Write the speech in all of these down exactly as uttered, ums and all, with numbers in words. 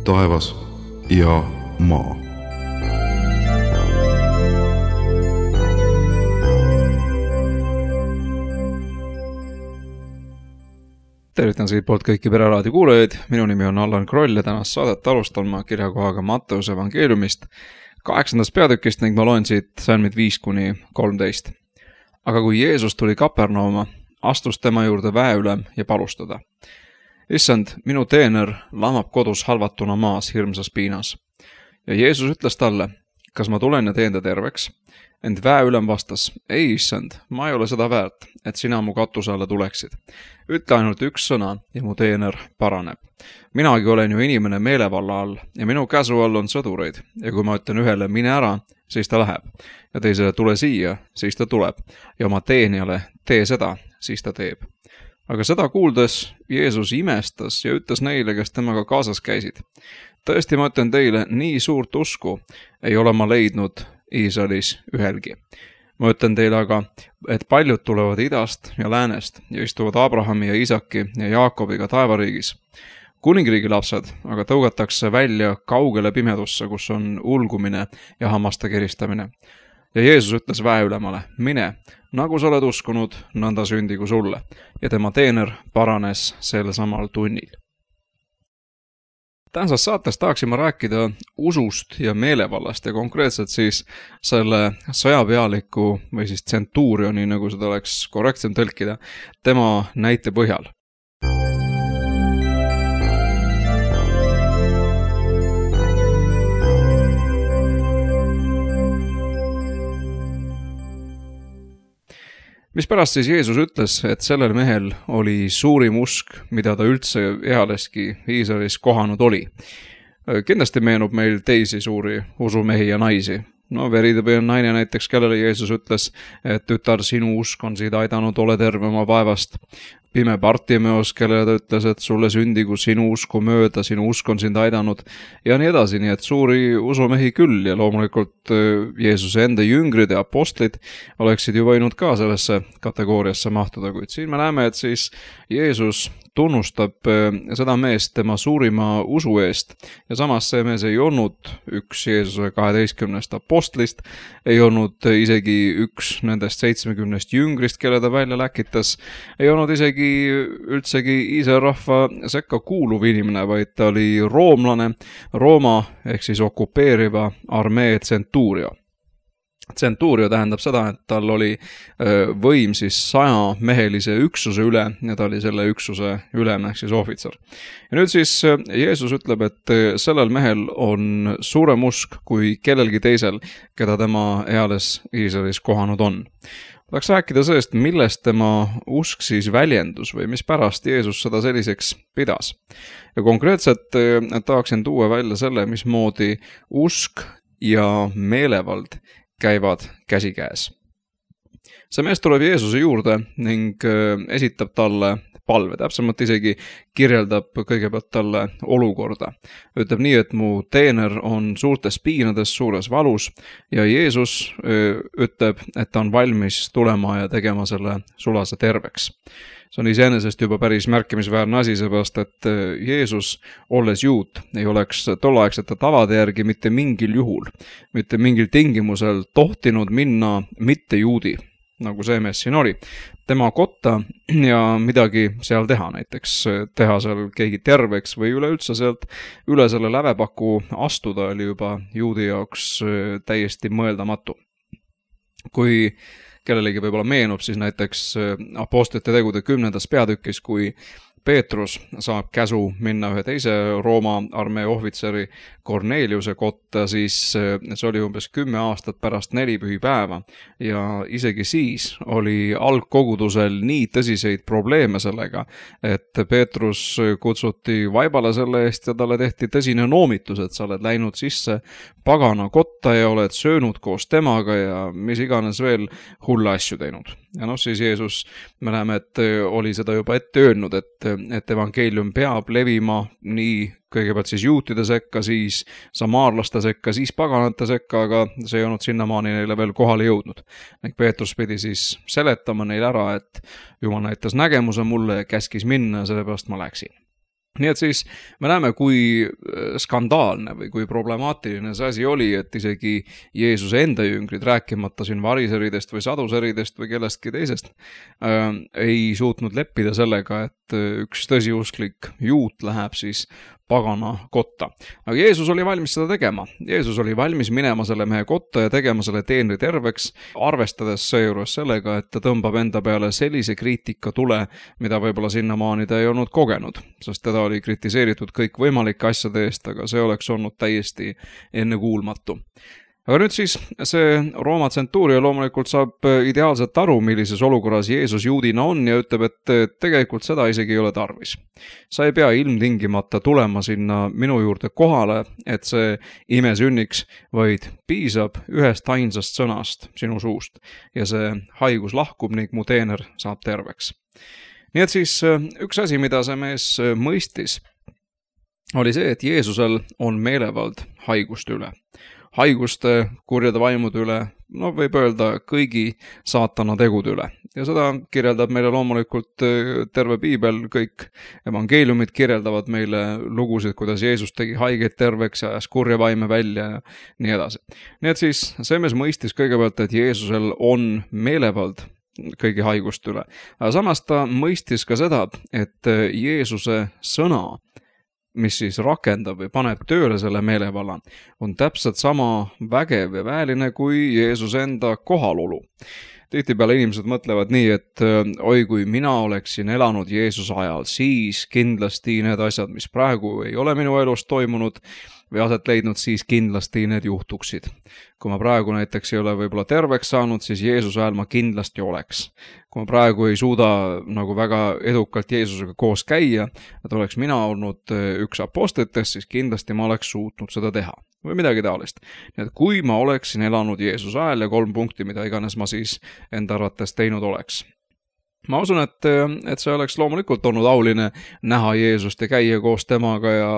taevas ja maa. Tervitan siit poolt kõiki Pereraadio kuulajaid. Minu nimi on Allan Kroll ja tänast saadet alustan ma kirjakohaga Matteuse evangeeliumist kaheksandast peatükist ning ma loen siit salmid viis kuni kolmteist. Aga kui Jeesus tuli Kapernauma, astus tema juurde väeülem ja palus teda: Issand, minu teener lamab kodus halvatuna maas hirmsas piinas. Ja Jeesus ütles talle: kas ma tulen ja teen ta terveks? Ent väeülem vastas: ei, issand, ma ei ole seda väärt, et sina mu katuse alla tuleksid. Ütle ainult üks sõna ja mu teener paraneb. Minagi olen ju inimene meelevalla all ja minu käsu all on sõdureid. Ja kui ma ütlen ühele mine ära, siis ta läheb. Ja teisele tule siia, siis ta tuleb. Ja oma teenijale tee seda, siis ta teeb. Aga seda kuuldes Jeesus imestas ja ütles neile, kes temaga kaasas käisid: tõesti, ma ütlen teile, nii suurt usku ei ole ma leidnud Iisraelis ühelgi. Ma ütlen teile aga, et paljud tulevad idast ja läänest ja istuvad Abrahami ja Isaki ja Jaakobiga taevariigis. Kuningriigi lapsed aga tõugatakse välja kaugele pimedusse, kus on ulgumine ja hammaste keristamine. Ja Jeesus ütles väeülemale: mine, nagu sa oled uskunud, nõnda sündigu sulle. Ja tema teener paranes sel samal tunnil. Tänases saates tahaksime rääkida usust ja meelevallast ja konkreetselt siis selle sõjapealiku või siis tsentuurioni, nagu seda oleks korrektsem tõlkida, tema näite põhjal. Mispärast siis Jeesus ütles, et sellel mehel oli suurim usk, mida ta üldse ealeski Iisraelis kohanud oli? Kindlasti meenub meil teisi suuri usumehi ja naisi. No veritõbi on naine näiteks, kellele Jeesus ütles, et tütar, sinu usk on siid aidanud, ole terve oma vaevast. Pime Bartimeos, kellele ta ütles, et sulle sündigu sinu usku mööda, sinu usk on sind aidanud ja nii edasi, nii et suuri usumehi küll ja loomulikult Jeesuse enda jüngrid ja apostlid oleksid ju võinud ka sellesse kategooriasse mahtuda, kuid siin me näeme, et siis Jeesus tunnustab seda meest tema suurima usu eest ja samas see mees ei olnud üks Jeesuse kaheteistkümnest apostlist, ei olnud isegi üks nendest seitsmekümnest jüngrist, kelle ta välja läkitas, ei olnud isegi üldsegi Iisraeli rahva sekka kuuluv inimene, vaid ta oli roomlane, Rooma ehk siis okupeeriva armee tsentuurio. Tsentuurio tähendab seda, et tal oli võim siis saja mehelise üksuse üle ja ta oli selle üksuse ülem ehk siis ohvitser. Ja nüüd siis Jeesus ütleb, et sellel mehel on suurem usk kui kellelgi teisel, keda tema eales Iisraelis kohanud on. Tahaks rääkida sellest, millest tema usk siis väljendus või mispärast Jeesus seda selliseks pidas. Ja konkreetselt tahaksin tuua välja selle, mismoodi usk ja meelevald käivad käsikäes. See mees tuleb Jeesuse juurde ning esitab talle palve, täpsemalt isegi kirjeldab kõigepealt talle olukorda. Ütleb nii, et mu teener on suurtes piinades, suures valus ja Jeesus ütleb, et ta on valmis tulema ja tegema selle sulase terveks. See on iseenesest juba päris märkimisväärne asi, seepärast, et Jeesus, olles juut, ei oleks tolleaegsete tavade järgi mitte mingil juhul, mitte mingil tingimusel tohtinud minna mitte juudi, nagu see mees siin oli, tema kotta ja midagi seal teha, näiteks teha seal keegi terveks või üleüldse sealt üle selle lävepaku astuda oli juba juudi jaoks täiesti mõeldamatu. Kui kellelegi võib-olla meenub, siis näiteks apostlite tegude kümnendas peatükis, kui Peetrus saab käsu minna ühe teise Rooma armee ohvitseri Korneliuse kotta, siis see oli umbes kümme aastat pärast nelipühipäeva ja isegi siis oli algkogudusel nii tõsiseid probleeme sellega, et Peetrus kutsuti vaibale selle eest ja talle tehti tõsine noomitus, et sa oled läinud sisse pagana kotta ja oled söönud koos temaga ja mis iganes veel hulle asju teinud. Ja noh, siis Jeesus, me näeme, et oli seda juba ette öelnud, et, et evangeelium peab levima nii kõigepealt siis juutide sekka, siis samaarlaste sekka, siis paganate sekka, aga see ei olnud sinnamaani neile veel kohale jõudnud. Ning Peetrus pidi siis seletama neile ära, et Jumal näitas nägemuse mulle ja käskis minna ja sellepärast ma läksin. nii et siis me näeme, kui skandaalne või kui problemaatiline see asi oli, et isegi Jeesuse enda jüngrid, rääkimata siin variseridest või saduseridest või kellestki teisest, äh, ei suutnud leppida sellega, et üks tõsiusklik juut läheb siis pagana kotta. Aga Jeesus oli valmis seda tegema. Jeesus oli valmis minema selle mehe kotta ja tegema selle teenri terveks, arvestades seejuures sellega, et ta tõmbab enda peale sellise kriitika tule, mida võib-olla sinnamaani ta ei olnud kogenud, sest teda oli kritiseeritud kõik võimalike asjade eest, aga see oleks olnud täiesti ennekuulmatu. Aga nüüd siis see Rooma tsentuuria loomulikult saab ideaalselt aru, millises olukorras Jeesus juudina on ja ütleb, et tegelikult seda isegi ei ole tarvis. Sa ei pea ilmtingimata tulema sinna minu juurde kohale, et see ime sünniks, vaid piisab ühest ainsast sõnast sinu suust ja see haigus lahkub ning mu teener saab terveks. Nii et siis üks asi, mida see mees mõistis, oli see, et Jeesusel on meelevald haiguste üle. Haiguste, kurjade vaimude üle, no võib öelda kõigi saatana tegude üle. Ja seda kirjeldab meile loomulikult terve piibel, kõik evangeeliumid kirjeldavad meile lugusid, kuidas Jeesus tegi haigeid terveks ja ajas kurja vaime välja ja nii edasi. Nii et siis see mees mõistis kõigepealt, et Jeesusel on meelevald kõigi haiguste üle. Aga samas ta mõistis ka seda, et Jeesuse sõna, mis siis rakendab või paneb tööle selle meelevalla, on täpselt sama vägev ja väeline kui Jeesuse enda kohalolu. Tihtipeale inimesed mõtlevad nii, et oi, kui mina oleksin elanud Jeesuse ajal, siis kindlasti need asjad, mis praegu ei ole minu elus toimunud või aset leidnud, siis kindlasti need juhtuksid. Kui ma praegu näiteks ei ole võib-olla terveks saanud, siis Jeesuse ajal ma kindlasti oleks. Kui ma praegu ei suuda nagu väga edukalt Jeesusega koos käia, et oleks mina olnud üks apostlitest, siis kindlasti ma oleks suutnud seda teha. Või midagi taolist. Nii et kui ma oleksin elanud Jeesuse ajal ja kolm punkti, mida iganes ma siis enda arvates teinud oleks. Ma usun, et, et see oleks loomulikult olnud auline näha Jeesust ja käia koos temaga ja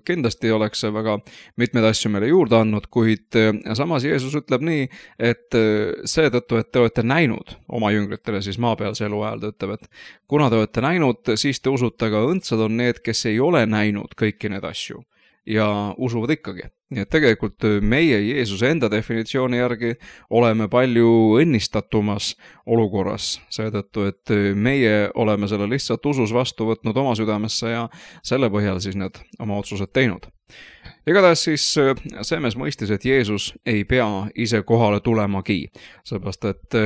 kindlasti oleks see väga mitmeid asju meile juurde andnud, kuid samas Jeesus ütleb nii, et seetõttu, et te olete näinud oma jüngritele siis maapealse elu ajal, ta ütleb, et kuna te olete näinud, siis te usute, aga õndsad on need, kes ei ole näinud kõiki need asju ja usuvad ikkagi. Nii et tegelikult meie Jeesuse enda definitsiooni järgi oleme palju õnnistatumas olukorras, seetõttu, et meie oleme selle lihtsalt usus vastu võtnud oma südamesse ja selle põhjal siis need oma otsused teinud. Igatahes siis see mees mõistis, et Jeesus ei pea ise kohale tulemagi, seepärast et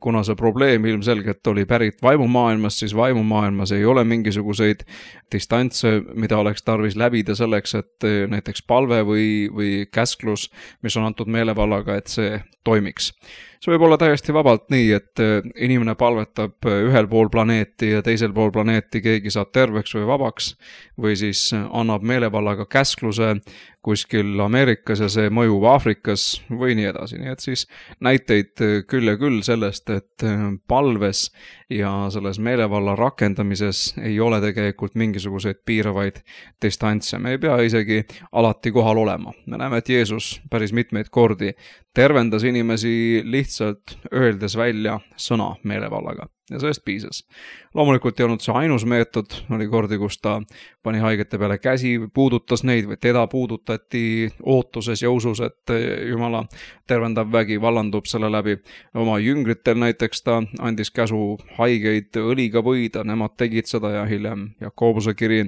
kuna see probleem ilmselgelt oli pärit vaimumaailmas, siis vaimumaailmas ei ole mingisuguseid distantse, mida oleks tarvis läbida selleks, et näiteks palve või, või käsklus, mis on antud meelevallaga, et see toimiks. See võib olla täiesti vabalt nii, et inimene palvetab ühel pool planeeti ja teisel pool planeeti keegi saab terveks või vabaks või siis annab meelevallaga käskluse kuskil Ameerikas ja see mõjub Aafrikas või nii edasi. Nii et siis näiteid küll ja küll sellest, et palves ja selles meelevalla rakendamises ei ole tegelikult mingisuguseid piiravaid distantse. Me ei pea isegi alati kohal olema. Me näeme, et Jeesus päris mitmeid kordi tervendas inimesi lihtsalt öeldes välja sõna meelevallaga. Ja sellest piisas. Loomulikult ei olnud see ainus meetod, oli kordi, kus ta pani haigete peale käsi, puudutas neid või teda puudutati ootuses ja usus, et Jumala tervendav vägi vallandub selle läbi. Oma jüngritel näiteks ta andis käsu haigeid õliga võida, nemad tegid seda ja hiljem Jakobuse kiri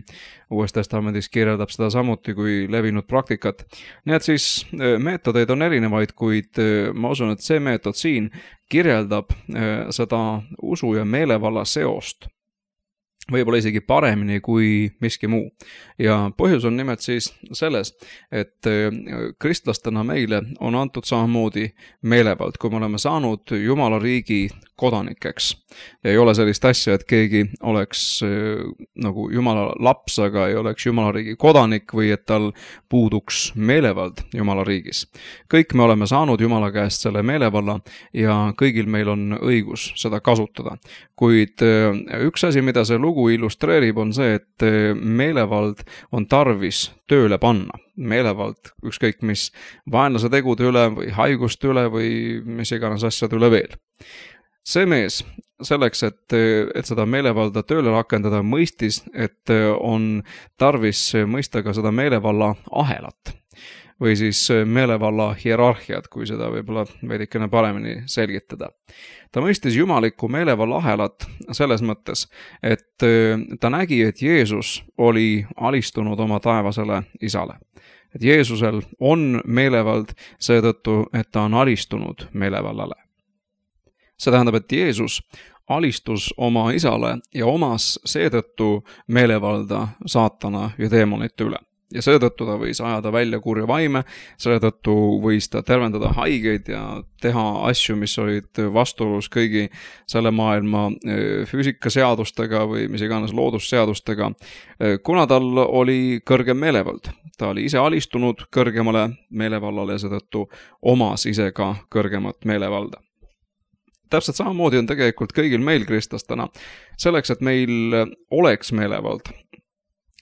Uues Testamendis kirjeldab seda samuti kui levinud praktikat. Nii et siis meetodeid on erinevaid, kuid ma usun, et see meetod siin kirjeldab seda usu ja meelevalla seost võib-olla isegi paremini kui miski muu. Ja põhjus on nimelt siis selles, et kristlastena meile on antud samamoodi meelevald, kui me oleme saanud Jumala riigi kodanikeks. Ja ei ole sellist asja, et keegi oleks nagu Jumala laps, aga ei oleks Jumala riigi kodanik või et tal puuduks meelevald Jumala riigis. Kõik me oleme saanud Jumala käest selle meelevalla ja kõigil meil on õigus seda kasutada. Kuid üks asi, mida see lugu illustreerib, on see, et meelevald on tarvis tööle panna. Meelevald ükskõik mis vaenlase tegude üle või haiguste üle või mis iganes asjade üle veel. See mees selleks, et, et seda meelevalda tööle rakendada, mõistis, et on tarvis mõista ka seda meelevalla ahelat või siis meelevalla hierarhiat, kui seda võib-olla veidikene paremini selgitada. Ta mõistis jumalikku meelevalla ahelat selles mõttes, et ta nägi, et Jeesus oli alistunud oma taevasele isale. Et Jeesusel on meelevald seetõttu, et ta on alistunud meelevallale. See tähendab, et Jeesus alistus oma isale ja omas seetõttu meelevalda saatana ja teemonite üle. Ja seetõttu ta võis ajada välja kurja vaime, seetõttu võis ta tervendada haigeid ja teha asju, mis olid vastuolus kõigi selle maailma füüsikaseadustega või mis iganes loodusseadustega, kuna tal oli kõrgem meelevald. Ta oli ise alistunud kõrgemale meelevallale ja seetõttu omas ise ka kõrgemat meelevalda. Täpselt samamoodi on tegelikult kõigil meil kristlastena. Selleks, et meil oleks meelevald,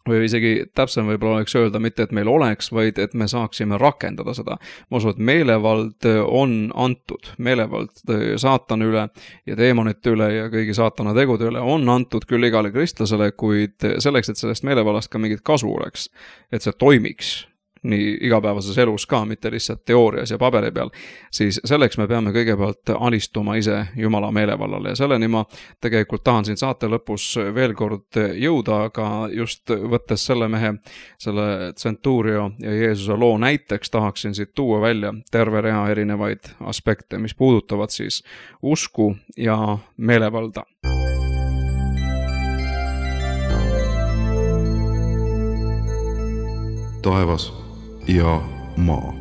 või isegi täpsem võib-olla oleks öelda mitte, et meil oleks, vaid et me saaksime rakendada seda. Ma usun, et meelevald on antud. Meelevald saatana üle ja teemonite üle ja kõigi saatana tegude üle on antud küll igale kristlasele, kuid selleks, et sellest meelevallast ka mingit kasu oleks, et see toimiks nii igapäevases elus ka, mitte lihtsalt teoorias ja paberi peal, siis selleks me peame kõigepealt alistuma ise Jumala meelevallale ja selleni ma tegelikult tahan siin saate lõpus veel kord jõuda, aga just võttes selle mehe, selle Centurio ja Jeesuse loo näiteks tahaksin siit tuua välja terve rea erinevaid aspekte, mis puudutavad siis usku ja meelevalda. Taevas ja maa.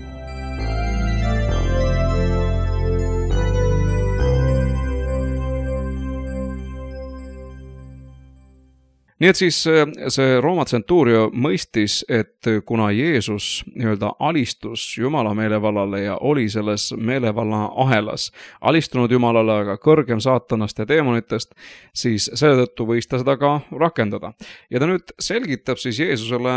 Nii et siis see Rooma Centurio mõistis, et kuna Jeesus nii-öelda alistus Jumala meelevallale ja oli selles meelevalla ahelas alistunud Jumalale, aga kõrgem saatanast ja teemonitest, siis seetõttu võis ta seda ka rakendada. Ja ta nüüd selgitab siis Jeesusele,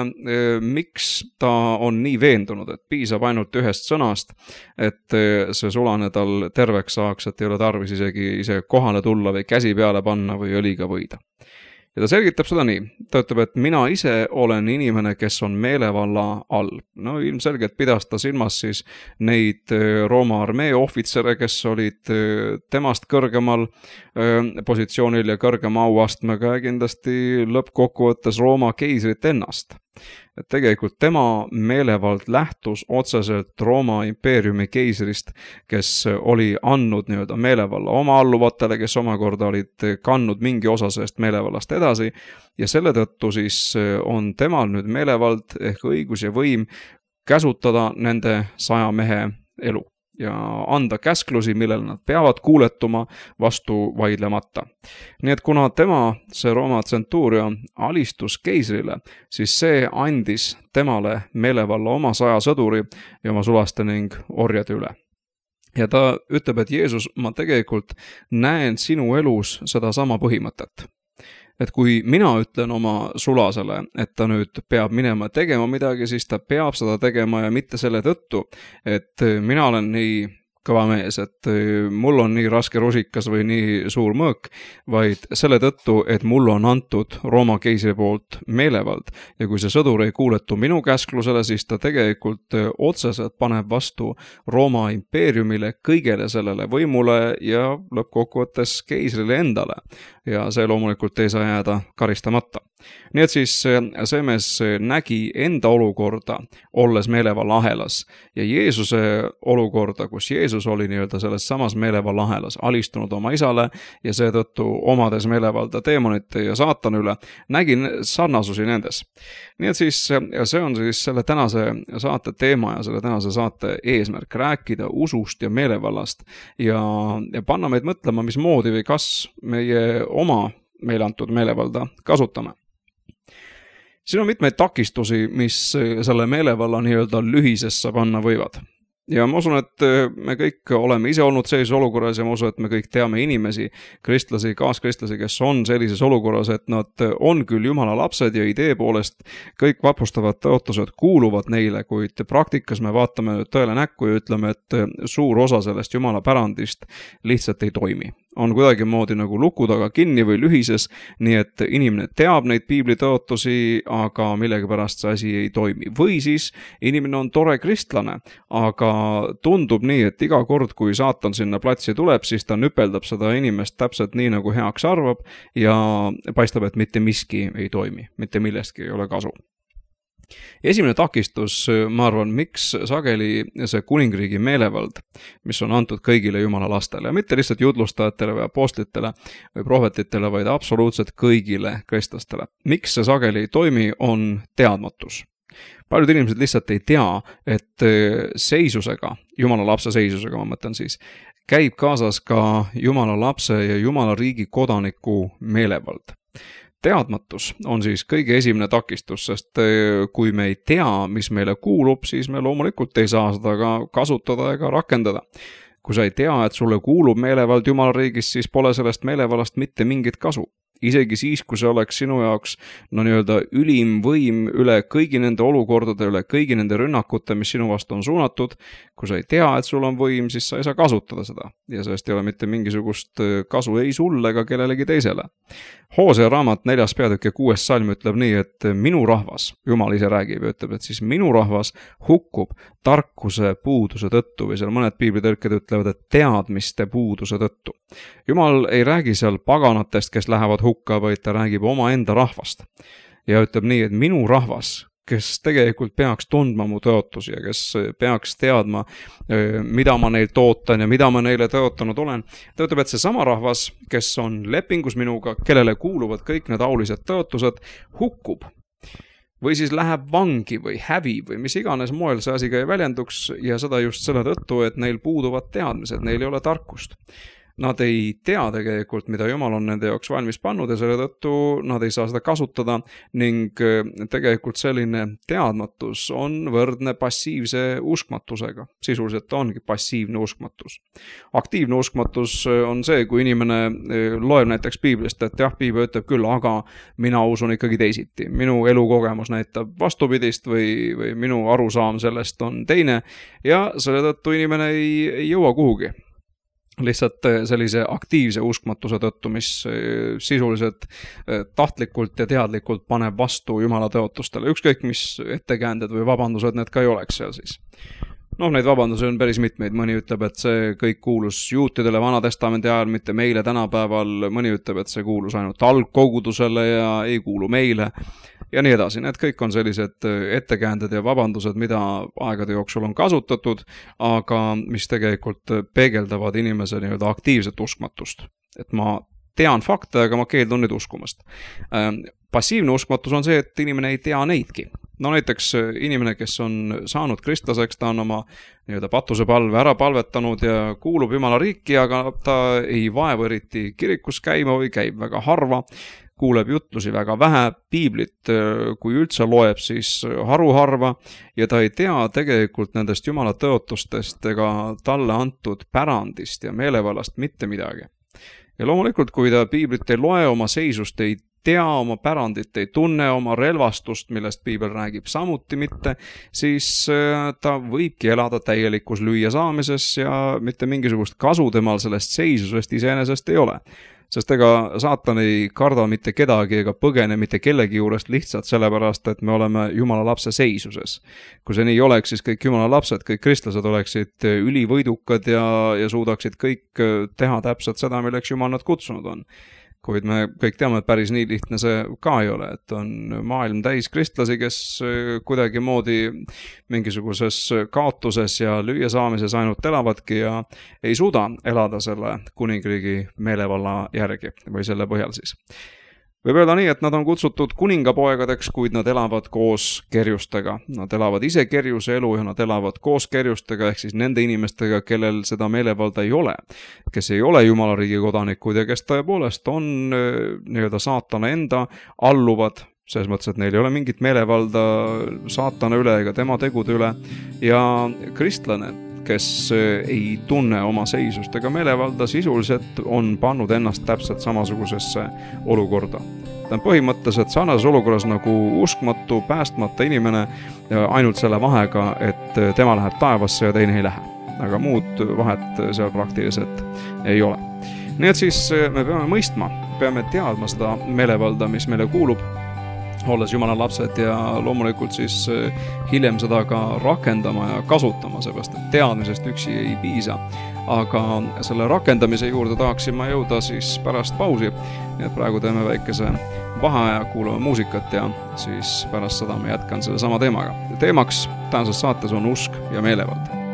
miks ta on nii veendunud, et piisab ainult ühest sõnast, et see sulane tal terveks saaks, et ei ole tarvis isegi ise kohale tulla või käsi peale panna või õliga võida. Ja ta selgitab seda nii. Ta ütleb, et mina ise olen inimene, kes on meelevalla all. No ilmselgelt pidas ta silmas siis neid Rooma armee ohvitsere, kes olid temast kõrgemal positsioonil ja kõrgema auastmega ja kindlasti lõppkokkuvõttes Rooma keisrit ennast. Et tegelikult tema meelevald lähtus otseselt Rooma impeeriumi keisrist, kes oli andnud nii-öelda meelevalla oma alluvatele, kes omakorda olid kandnud mingi osa sellest meelevallast edasi ja selle tõttu siis on temal nüüd meelevald ehk õigus ja võim käsutada nende saja mehe elu ja anda käsklusi, millele nad peavad kuuletuma vastu vaidlemata. Nii et kuna tema, see Rooma Centurio, alistus keisrile, siis see andis temale meelevalla oma saja sõduri ja oma sulaste ning orjade üle. Ja ta ütleb, et Jeesus, ma tegelikult näen sinu elus seda sama põhimõtet. Et kui mina ütlen oma sulasele, et ta nüüd peab minema tegema midagi, siis ta peab seda tegema ja mitte selle tõttu, et mina olen nii kõva mees, et mul on nii raske rusikas või nii suur mõõk, vaid selle tõttu, et mul on antud Rooma keisri poolt meelevald ja kui see sõdur ei kuuletu minu käsklusele, siis ta tegelikult otseselt paneb vastu Rooma impeeriumile, kõigele sellele võimule ja lõppkokkuvõttes keisrile endale ja see loomulikult ei saa jääda karistamata. Nii et siis see mees nägi enda olukorda, olles meelevalla ahelas ja Jeesuse olukorda, kus Jeesus oli nii-öelda selles samas meelevalla ahelas, alistunud oma isale ja seetõttu omades meelevalda teemonite ja saatana üle, nägin sarnasusi nendes. Nii et siis see on siis selle tänase saate teema ja selle tänase saate eesmärk, rääkida usust ja meelevallast ja, ja panna meid mõtlema, mismoodi või kas meie oma meile antud meelevalda kasutame. Siin on mitmeid takistusi, mis selle meelevalla nii-öelda lühisesse panna võivad. Ja ma usun, et me kõik oleme ise olnud sellises olukorras ja ma usun, et me kõik teame inimesi, kristlasi, kaaskristlasi, kes on sellises olukorras, et nad on küll Jumala lapsed ja idee poolest kõik vapustavad tõotused kuuluvad neile, kuid praktikas me vaatame tõele näkku ja ütleme, et suur osa sellest Jumala pärandist lihtsalt ei toimi. on kuidagi moodi nagu luku taga kinni või lühises, nii et inimene teab neid piibli tõotusi, aga millegipärast see asi ei toimi. Või siis inimene on tore kristlane, aga tundub nii, et iga kord, kui saatan sinna platsi tuleb, siis ta nüpeldab seda inimest täpselt nii, nagu heaks arvab ja paistab, et mitte miski ei toimi, mitte millestki ei ole kasu. Esimene takistus, ma arvan, miks sageli see kuningriigi meelevald, mis on antud kõigile Jumala lastele, mitte lihtsalt jutlustajatele või apostlitele või prohvetitele, vaid absoluutselt kõigile kristlastele. Miks see sageli ei toimi, on teadmatus. Paljud inimesed lihtsalt ei tea, et seisusega, Jumala lapse seisusega, ma mõtlen siis, käib kaasas ka Jumala lapse ja Jumala riigi kodaniku meelevald. Teadmatus on siis kõige esimene takistus, sest kui me ei tea, mis meile kuulub, siis me loomulikult ei saa seda ka kasutada ega rakendada. Kui sa ei tea, et sulle kuulub meelevald Jumala riigis, siis pole sellest meelevallast mitte mingit kasu. Isegi siis, kui see oleks sinu jaoks no nii-öelda ülim võim üle kõigi nende olukordade, üle kõigi nende rünnakute, mis sinu vastu on suunatud, kui sa ei tea, et sul on võim, siis sa ei saa kasutada seda. Ja sellest ei ole mitte mingisugust kasu ei sulle ega kellelegi teisele. Hoosea raamat neljas peatükk ja kuues salm ütleb nii, et minu rahvas, Jumal ise räägib ja ütleb, et siis minu rahvas hukkub tarkuse puuduse tõttu või seal mõned piiblitõlked ütlevad, et teadmiste puuduse tõttu. Jumal ei räägi seal paganatest, kes lähevad hukka, vaid ta räägib oma enda rahvast. Ja ütleb nii, et minu rahvas, kes tegelikult peaks tundma mu tõotusi ja kes peaks teadma, mida ma neilt ootan ja mida ma neile tõotanud olen. Ta ütleb, et see sama rahvas, kes on lepingus minuga, kellele kuuluvad kõik need aulised tõotused, hukkub. Või siis läheb vangi või hävi või mis iganes moel see asi ka ei väljenduks ja seda just selle tõttu, et neil puuduvad teadmised, neil ei ole tarkust. Nad ei tea tegelikult, mida Jumal on nende jaoks valmis pannud ja selle tõttu nad ei saa seda kasutada ning tegelikult selline teadmatus on võrdne passiivse uskmatusega. Sisuliselt ongi passiivne uskmatus. Aktiivne uskmatus on see, kui inimene loeb näiteks piiblist, et jah, piibel ütleb küll, aga mina usun ikkagi teisiti. Minu elukogemus näitab vastupidist või, või minu arusaam sellest on teine ja selle tõttu inimene ei, ei jõua kuhugi. Lihtsalt sellise aktiivse uskmatuse tõttu, mis sisuliselt tahtlikult ja teadlikult paneb vastu Jumala tõotustele. Ükskõik mis ettekäänded või vabandused need ka ei oleks seal siis. Noh, neid vabandusi on päris mitmeid. Mõni ütleb, et see kõik kuulus juutidele Vanatestamendi ajal, mitte meile tänapäeval. Mõni ütleb, et see kuulus ainult algkogudusele ja ei kuulu meile. Ja nii edasi. Need kõik on sellised ettekäänded ja vabandused, mida aegade jooksul on kasutatud, aga mis tegelikult peegeldavad inimese nii-öelda aktiivset uskmatust. Et ma tean fakte, aga ma keeldun nüüd uskumast. Passiivne uskmatus on see, et inimene ei tea neidki. No näiteks inimene, kes on saanud kristlaseks, ta on oma nii-öelda patusepalve ära palvetanud ja kuulub Jumala riiki, aga ta ei vaevu eriti kirikus käima või käib väga harva, kuuleb jutlusi väga vähe, piiblit, kui üldse loeb, siis haruharva ja ta ei tea tegelikult nendest Jumala tõotustest ega talle antud pärandist ja meelevallast mitte midagi. Ja loomulikult, kui ta piiblit ei loe, oma seisust ei tea, oma pärandit ei tunne, oma relvastust, millest piibel räägib samuti mitte, siis ta võibki elada täielikus lüüa saamises ja mitte mingisugust kasu temal sellest seisusest iseenesest ei ole. Sest ega saatan ei karda mitte kedagi ega põgene mitte kellegi juurest lihtsalt sellepärast, et me oleme Jumala lapse seisuses. Kui see nii oleks, siis kõik Jumala lapsed, kõik kristlased oleksid ülivõidukad ja, ja suudaksid kõik teha täpselt seda, milleks Jumal nad kutsunud on. Kuid me kõik teame, et päris nii lihtne see ka ei ole, et on maailm täis kristlasi, kes kuidagi moodi mingisuguses kaotuses ja lüüa saamises ainult elavadki ja ei suuda elada selle kuningriigi meelevalla järgi või selle põhjal siis. Võib öelda nii, et nad on kutsutud kuningapoegadeks, kuid nad elavad koos kerjustega. Nad elavad ise kerjuse elu ja nad elavad koos kerjustega, ehk siis nende inimestega, kellel seda meelevalda ei ole, kes ei ole Jumala riigi kodanikud ja kes tõepoolest on nii-öelda saatana enda alluvad, selles mõttes, et neil ei ole mingit meelevalda saatana üle ega tema tegude üle ja kristlane, kes ei tunne oma seisust ega meelevalda, sisuliselt on pannud ennast täpselt samasugusesse olukorda. Ta on põhimõtteliselt sarnases olukorras nagu uskmatu, päästmata inimene ainult selle vahega, et tema läheb taevasse ja teine ei lähe. Aga muud vahet seal praktiliselt ei ole. Nii et siis me peame mõistma, peame teadma seda meelevalda, mis meile kuulub, olles Jumala lapsed ja loomulikult siis hiljem seda ka rakendama ja kasutama, seepärast et teadmisest üksi ei piisa. Aga selle rakendamise juurde tahaksin ma jõuda siis pärast pausi. Nii et praegu teeme väikese vaheaja, kuulame muusikat ja siis pärast seda me jätkan selle sama teemaga. Teemaks tänases saates on usk ja meelevald.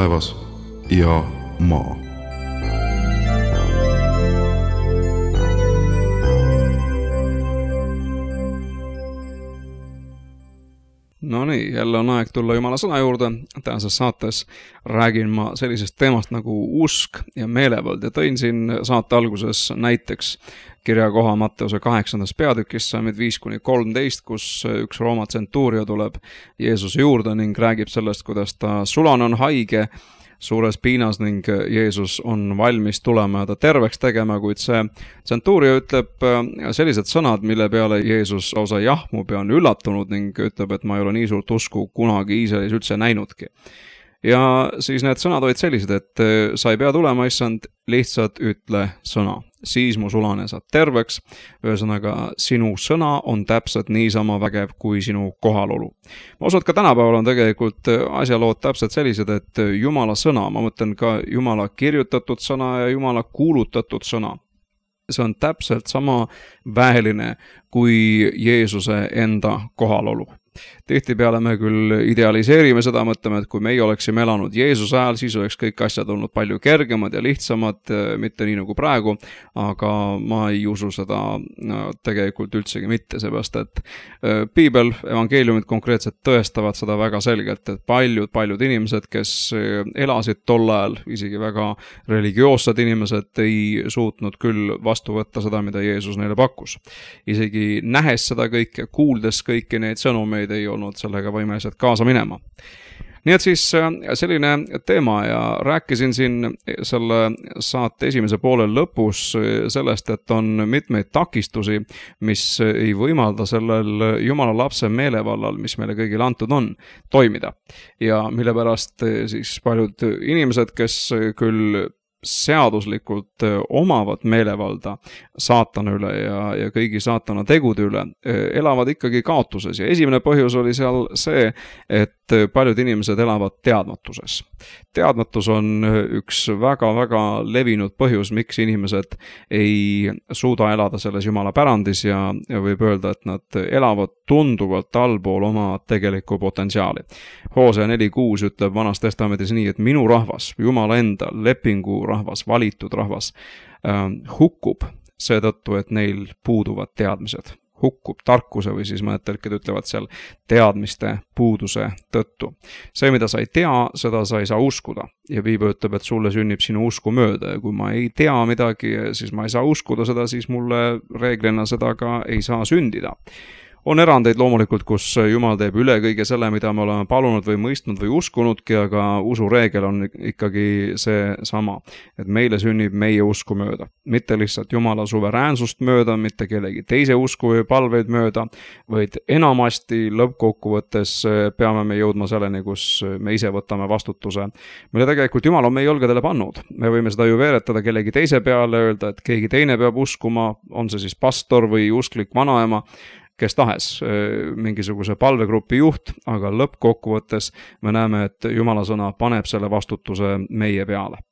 taevas ja maa. No nii, jälle on aeg tulla Jumala sõna juurde. Tänases saates räägin ma sellisest teemast nagu usk ja meelevald ja tõin siin saate alguses näiteks kirjakoha Matteuse kaheksandas peatükis salmid viis kuni kolmteist, kus üks Rooma tsentuurio tuleb Jeesuse juurde ning räägib sellest, kuidas ta sulane on haige, suures piinas ning Jeesus on valmis tulema ja ta terveks tegema, kuid see tsentuuria ütleb sellised sõnad, mille peale Jeesus lausa jahmub ja on üllatunud ning ütleb, et ma ei ole nii suurt usku kunagi Iisraelis üldse näinudki. Ja siis need sõnad olid sellised, et sa ei pea tulema, issand, lihtsalt ütle sõna. Siis mu sulane saab terveks, ühesõnaga sinu sõna on täpselt niisama vägev kui sinu kohalolu. Ma usun, et ka tänapäeval on tegelikult asjalood täpselt sellised, et Jumala sõna, ma mõtlen ka Jumala kirjutatud sõna ja Jumala kuulutatud sõna. See on täpselt sama väeline kui Jeesuse enda kohalolu. Tihtipeale me küll idealiseerime seda, mõtleme, et kui meie oleksime elanud Jeesuse ajal, siis oleks kõik asjad olnud palju kergemad ja lihtsamad, mitte nii nagu praegu, aga ma ei usu seda tegelikult üldsegi mitte, seepärast, et piibel, evangeeliumid konkreetselt tõestavad seda väga selgelt, et paljud, paljud inimesed, kes elasid tol ajal, isegi väga religioossed inimesed, ei suutnud küll vastu võtta seda, mida Jeesus neile pakkus. Isegi nähes seda kõike, kuuldes kõiki neid sõnumeid, ei olnud sellega võimelised kaasa minema. Nii et siis selline teema ja rääkisin siin selle saate esimese poole lõpus sellest, et on mitmeid takistusi, mis ei võimalda sellel Jumala lapse meelevallal, mis meile kõigile antud on, toimida. Ja mille pärast siis paljud inimesed, kes küll seaduslikult omavad meelevalda saatana üle ja, ja kõigi saatana tegude üle, elavad ikkagi kaotuses. Ja esimene põhjus oli seal see, et paljud inimesed elavad teadmatuses. Teadmatus on üks väga-väga levinud põhjus, miks inimesed ei suuda elada selles Jumala pärandis ja, ja võib öelda, et nad elavad tunduvalt allpool oma tegelikku potentsiaali. Hoosea neli kuus ütleb Vanas Testamendis nii, et minu rahvas, Jumala enda lepingu rahvas, valitud rahvas, äh, hukkub seetõttu, et neil puuduvad teadmised. Hukkub tarkuse või siis mõned tõlked ütlevad seal teadmiste puuduse tõttu. See, mida sa ei tea, seda sa ei saa uskuda. Ja piibel ütleb, et sulle sünnib sinu usku mööda ja kui ma ei tea midagi, siis ma ei saa uskuda seda, siis mulle reeglina seda ka ei saa sündida. On erandeid loomulikult, kus Jumal teeb üle kõige selle, mida me oleme palunud või mõistnud või uskunudki, aga usureegel on ikkagi see sama, et meile sünnib meie usku mööda. Mitte lihtsalt Jumala suveräänsust mööda, mitte kellegi teise usku või palveid mööda, vaid enamasti lõppkokkuvõttes peame me jõudma selleni, kus me ise võtame vastutuse, mille tegelikult Jumal on meie õlgadele pannud. Me võime seda ju veeretada kellegi teise peale, öelda, et keegi teine peab uskuma, on see siis pastor või usklik vanaema, kes tahes mingisuguse palvegrupi juht, aga lõppkokkuvõttes me näeme, et Jumala sõna paneb selle vastutuse meie peale,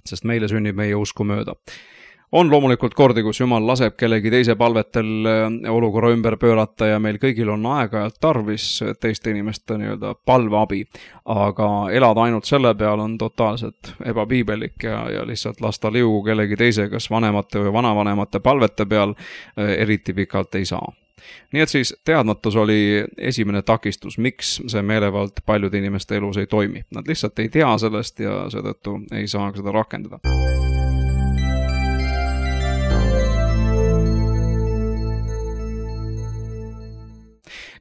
sest meile sünnib meie usku mööda. On loomulikult kordi, kus Jumal laseb kellegi teise palvetel olukorra ümber pöörata ja meil kõigil on aeg-ajalt tarvis teiste inimeste nii-öelda palveabi, aga elada ainult selle peal on totaalselt ebapiibelik ja, ja lihtsalt lasta liugu kellegi teise, kas vanemate või vanavanemate palvete peal eriti pikalt ei saa. Nii et siis teadmatus oli esimene takistus, miks see meelevald paljude inimeste elus ei toimi. Nad lihtsalt ei tea sellest ja seetõttu ei saa seda rakendada.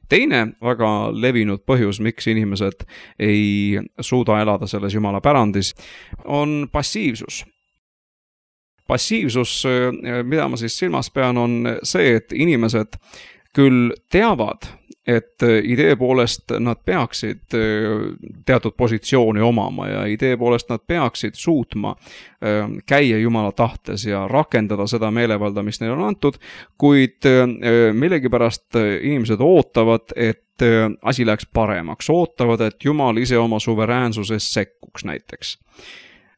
Teine väga levinud põhjus, miks inimesed ei suuda elada selles Jumala pärandis, on passiivsus. Passiivsus, mida ma siis silmas pean, on see, et inimesed küll teavad, et idee poolest nad peaksid teatud positsiooni omama ja idee poolest nad peaksid suutma käia Jumala tahtes ja rakendada seda meelevalda, mis neile on antud, kuid millegipärast inimesed ootavad, et asi läheks paremaks, ootavad, et Jumal ise oma suveräänsuses sekkuks näiteks.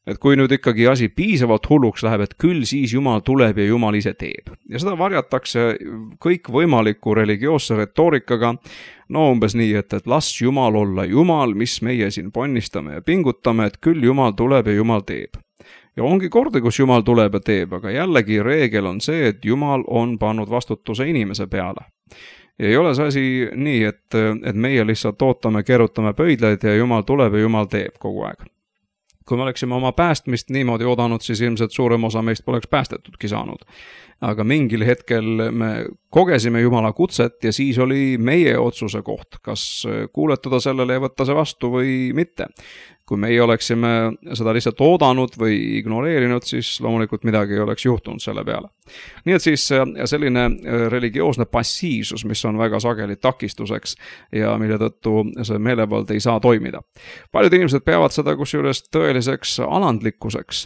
Et kui nüüd ikkagi asi piisavalt hulluks läheb, et küll siis Jumal tuleb ja Jumal ise teeb. Ja seda varjatakse kõik võimaliku religioosse retoorikaga, no umbes nii, et, et las Jumal olla Jumal, mis meie siin ponnistame ja pingutame, et küll Jumal tuleb ja Jumal teeb. Ja ongi kordi, kus Jumal tuleb ja teeb, aga jällegi reegel on see, et Jumal on pannud vastutuse inimese peale. Ja ei ole see asi nii, et, et meie lihtsalt ootame, kerutame pöidlaid ja Jumal tuleb ja Jumal teeb kogu aeg. Kui me oleksime oma päästmist niimoodi oodanud, siis ilmselt suurem osa meist poleks päästetudki saanud. aga mingil hetkel me kogesime Jumala kutset ja siis oli meie otsuse koht, kas kuuletada sellele ja võtta see vastu või mitte. Kui meie oleksime seda lihtsalt oodanud või ignoreerinud, siis loomulikult midagi ei oleks juhtunud selle peale. Nii et siis selline religioosne passiivsus, mis on väga sageli takistuseks ja mille tõttu see meelevald ei saa toimida. Paljud inimesed peavad seda kusjuures tõeliseks alandlikkuseks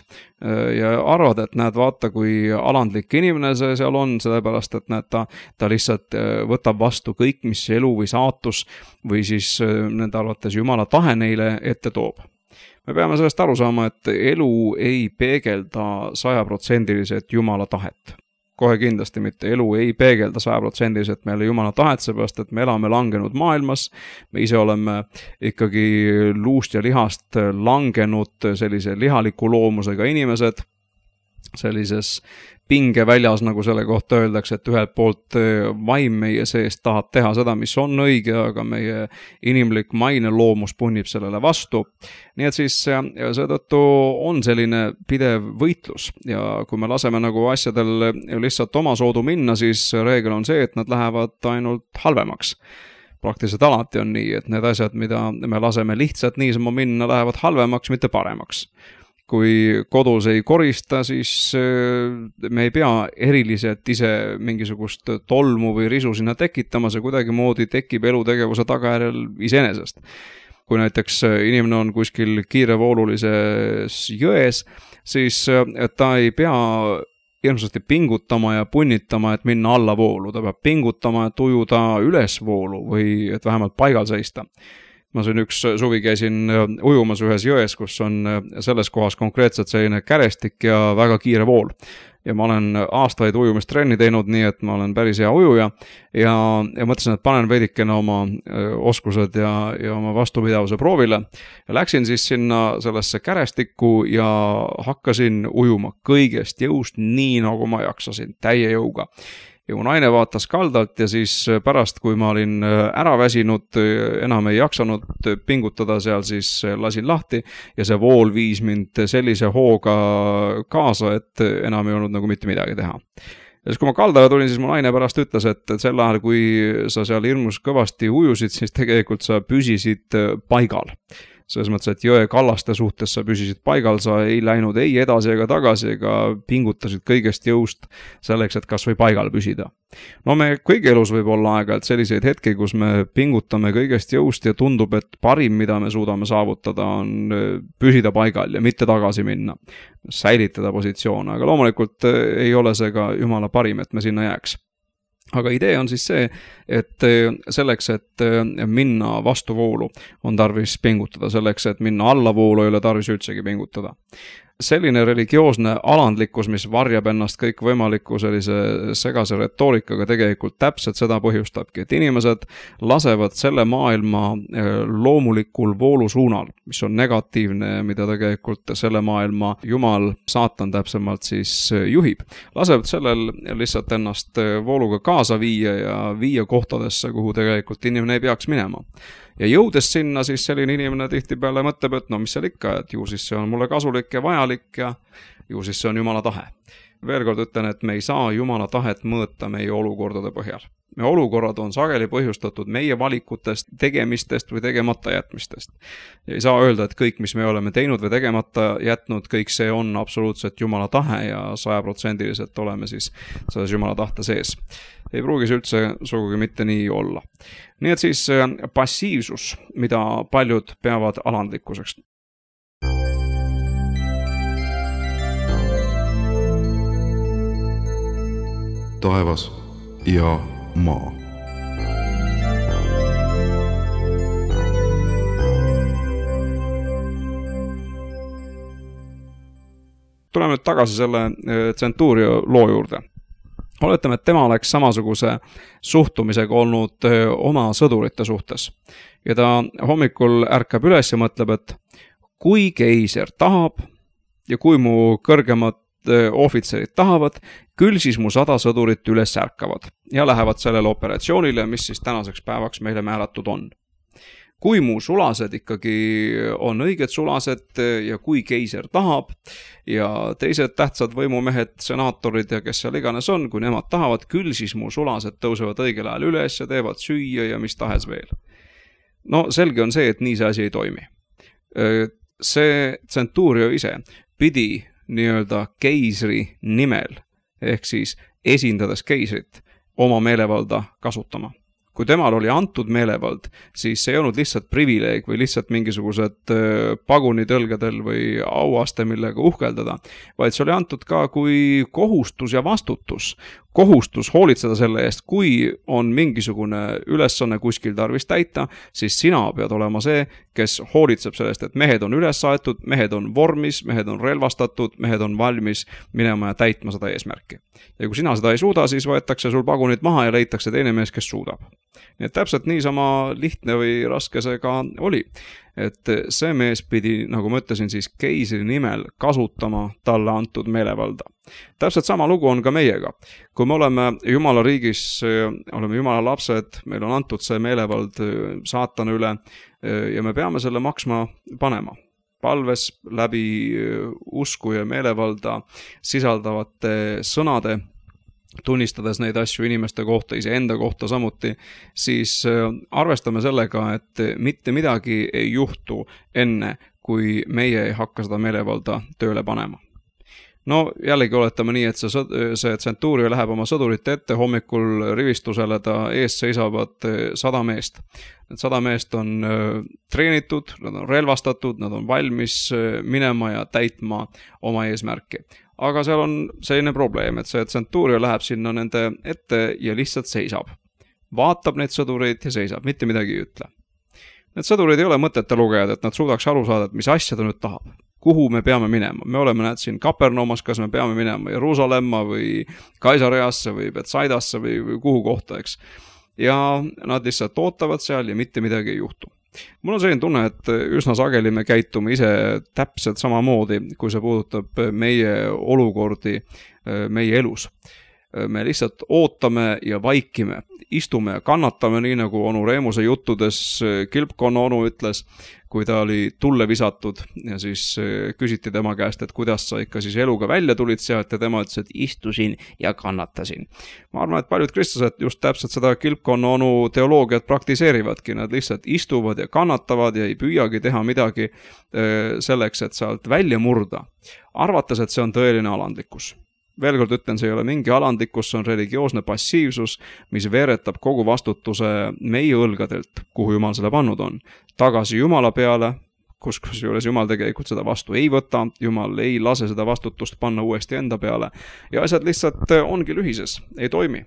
ja arvad, et näed, vaata, kui alandlik inimene see seal on, sellepärast, et näed, ta, ta lihtsalt võtab vastu kõik, mis elu või saatus või siis nende arvates Jumala tahe neile ette toob. Me peame sellest aru saama, et elu ei peegelda sajaprotsendiliselt Jumala tahet. Kohe kindlasti mitte. Elu ei peegelda sajaprotsendiliselt meile Jumala tahet, seepärast, et me elame langenud maailmas. Me ise oleme ikkagi luust ja lihast langenud sellise lihaliku loomusega inimesed, sellises pingeväljas, nagu selle kohta öeldakse, et ühelt poolt vaim meie seest tahab teha seda, mis on õige, aga meie inimlik maine loomus punnib sellele vastu. Nii et siis seetõttu on selline pidev võitlus ja kui me laseme nagu asjadel lihtsalt oma soodu minna, siis reegel on see, et nad lähevad ainult halvemaks. Praktiliselt alati on nii, et need asjad, mida me laseme lihtsalt niisama minna, lähevad halvemaks, mitte paremaks. Kui kodus ei korista, siis me ei pea eriliselt ise mingisugust tolmu või risu sinna tekitama, see kuidagi moodi tekib elutegevuse tagajärjel iseenesest. Kui näiteks inimene on kuskil kiirevoolulises jões, siis ta ei pea hirmsasti pingutama ja punnitama, et minna allavoolu. Ta peab pingutama, et ujuda ülesvoolu või et vähemalt paigal seista. Ma siin üks suvi käisin ujumas ühes jões, kus on selles kohas konkreetselt selline kärestik ja väga kiire vool. Ja ma olen aastaid ujumistrenni teinud nii, et ma olen päris hea ujuja ja, ja mõtlesin, et panen veidikene oma oskused ja, ja oma vastupidavuse proovile. Ja läksin siis sinna sellesse kärestikku ja hakkasin ujuma kõigest jõust nii, nagu ma jaksasin, täie jõuga. Ja mu naine vaatas kaldalt ja siis pärast, kui ma olin ära väsinud, enam ei jaksanud pingutada seal, siis lasin lahti ja see vool viis mind sellise hooga kaasa, et enam ei olnud nagu mitte midagi teha. Ja siis kui ma kaldale tulin, siis mu naine pärast ütles, et sel ajal, kui sa seal hirmus kõvasti ujusid, siis tegelikult sa püsisid paigal. Selles mõttes, et jõe kallaste suhtes sa püsisid paigal, sa ei läinud ei edasi ega tagasi ega pingutasid kõigest jõust selleks, et kas või paigal püsida. No me kõigi elus võib olla aega, et selliseid hetki, kus me pingutame kõigest jõust ja tundub, et parim, mida me suudame saavutada, on püsida paigal ja mitte tagasi minna, säilitada positsioone, aga loomulikult ei ole see ka Jumala parim, et me sinna jääks. Aga idee on siis see, et selleks, et minna vastuvoolu, on tarvis pingutada. Selleks, et minna allavoolu, ei ole tarvis üldsegi pingutada. Selline religioosne alandlikkus, mis varjab ennast kõik võimaliku sellise segase retoorikaga, tegelikult täpselt seda põhjustabki, et inimesed lasevad selle maailma loomulikul voolusuunal, mis on negatiivne, mida tegelikult selle maailma Jumal, saatan täpsemalt siis juhib. Lasevad sellel lihtsalt ennast vooluga kaasa viia ja viia kohtadesse, kuhu tegelikult inimene ei peaks minema. Ja jõudes sinna, siis selline inimene tihtipeale mõtleb, et no mis seal ikka, et ju siis see on mulle kasulik ja vajalik ja ju siis see on Jumala tahe. Veel kord ütlen, et me ei saa Jumala tahet mõõta meie olukordade põhjal. Me olukorrad on sageli põhjustatud meie valikutest, tegemistest või tegemata jätmistest. Ja ei saa öelda, et kõik, mis me oleme teinud või tegemata jätnud, kõik see on absoluutselt Jumala tahe ja sajaprotsendiliselt oleme siis selles Jumala tahte sees. Ei pruugi see üldse sugugi mitte nii olla. Nii et siis passiivsus, mida paljud peavad alandlikkuseks. Taevas ja maa. Tuleme nüüd tagasi selle Centurio loo juurde. Oletame, et tema oleks samasuguse suhtumisega olnud oma sõdurite suhtes. Ja ta hommikul ärkab üles ja mõtleb, et kui keiser tahab ja kui mu kõrgemad ohvitserid tahavad, küll siis mu sada sõdurit üles ärkavad ja lähevad sellele operatsioonile, mis siis tänaseks päevaks meile määratud on. kui mu sulased ikkagi on õiged sulased ja kui keiser tahab ja teised tähtsad võimumehed, senaatorid ja kes seal iganes on, kui nemad tahavad, küll siis mu sulased tõusevad õigel ajal üles ja teevad süüa ja mis tahes veel. No selge on see, et nii see asi ei toimi. See Centurio ise pidi nii-öelda keisri nimel ehk siis esindades keisrit oma meelevalda kasutama. Kui temal oli antud meelevald, siis see ei olnud lihtsalt privileeg või lihtsalt mingisugused pagunitõlgadel või auaste, millega uhkeldada, vaid see oli antud ka kui kohustus ja vastutus. Kohustus hoolitseda selle eest, kui on mingisugune ülesanne kuskil tarvis täita, siis sina pead olema see, kes hoolitseb sellest, et mehed on üles saetud, mehed on vormis, mehed on relvastatud, mehed on valmis minema ja täitma seda eesmärki. Ja kui sina seda ei suuda, siis võetakse sul pagunid maha ja leitakse teine mees, kes suudab. Nii et täpselt niisama lihtne või raske see ka oli. Et see mees pidi, nagu ma ütlesin, siis keisri nimel kasutama talle antud meelevalda. Täpselt sama lugu on ka meiega. Kui me oleme Jumala riigis, oleme Jumala lapsed, meil on antud see meelevald saatana üle ja me peame selle maksma panema. Palves läbi usku ja meelevalda sisaldavate sõnade, tunnistades neid asju inimeste kohta, iseenda kohta samuti, siis arvestame sellega, et mitte midagi ei juhtu enne, kui meie ei hakka seda meelevalda tööle panema. No jällegi oletame nii, et see, see Centurio läheb oma sõdurite ette, hommikul rivistusele ta ees seisavad sada meest. Need sada meest on treenitud, nad on relvastatud, nad on valmis minema ja täitma oma eesmärki. Aga seal on selline probleem, et see Centurio läheb sinna nende ette ja lihtsalt seisab. Vaatab neid sõdureid ja seisab, mitte midagi ei ütle. Need sõdureid ei ole mõtete lugejad, et nad suudaks aru saada, et mis asja ta nüüd tahab. Kuhu me peame minema? Me oleme näed siin Kapernaumas, kas me peame minema Jeruusalemma või Kaisareasse või Betsaidasse või, või kuhu kohta, eks. Ja nad lihtsalt ootavad seal ja mitte midagi ei juhtu. Mul on selline tunne, et üsna sageli me käitume ise täpselt samamoodi, kui see puudutab meie olukordi meie elus. Me lihtsalt ootame ja vaikime, istume ja kannatame, nii nagu onu Reemuse juttudes Kilpkonna onu ütles, kui ta oli tulle visatud ja siis küsiti tema käest, et kuidas sa ikka siis eluga välja tulid sealt ja tema ütles, et istusin ja kannatasin. Ma arvan, et paljud kristlased just täpselt seda Kilpkonna onu teoloogiat praktiseerivadki, nad lihtsalt istuvad ja kannatavad ja ei püüagi teha midagi selleks, et sealt välja murda, arvates, et see on tõeline alandlikkus. Veel kord ütlen, see ei ole mingi alandlikkus, see on religioosne passiivsus, mis veeretab kogu vastutuse meie õlgadelt, kuhu Jumal selle pannud on. Tagasi Jumala peale, kus, kus juures Jumal tegelikult seda vastu ei võta, Jumal ei lase seda vastutust panna uuesti enda peale ja asjad lihtsalt ongi lühises, ei toimi.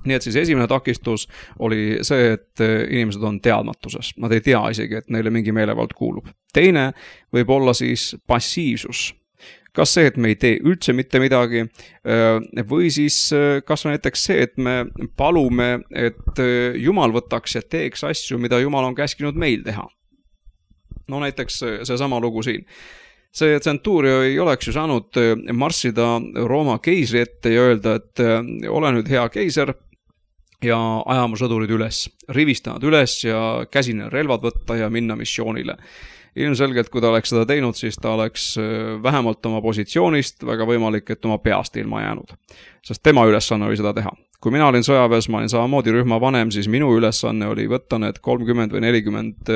Nii et siis esimene takistus oli see, et inimesed on teadmatuses. Nad ei tea isegi, et neile mingi meelevald kuulub. Teine võib olla siis passiivsus. Kas see, et me ei tee üldse mitte midagi või siis kas näiteks see, et me palume, et Jumal võtaks ja teeks asju, mida Jumal on käskinud meil teha. No näiteks see sama lugu siin. See Centurio ei oleks ju saanud marssida Rooma keisri ette ja öelda, et ole nüüd hea keiser ja ajama sõdurid üles, rivistanud üles ja käsine relvad võtta ja minna missioonile. Ilmselgelt, kui ta oleks seda teinud, siis ta oleks vähemalt oma positsioonist väga võimalik, et oma peast ilma jäänud. Sest tema ülesanne oli seda teha. Kui mina olin sõjaväes, ma olin samamoodi rühma vanem, siis minu ülesanne oli võtta need kolmkümmend või nelikümmend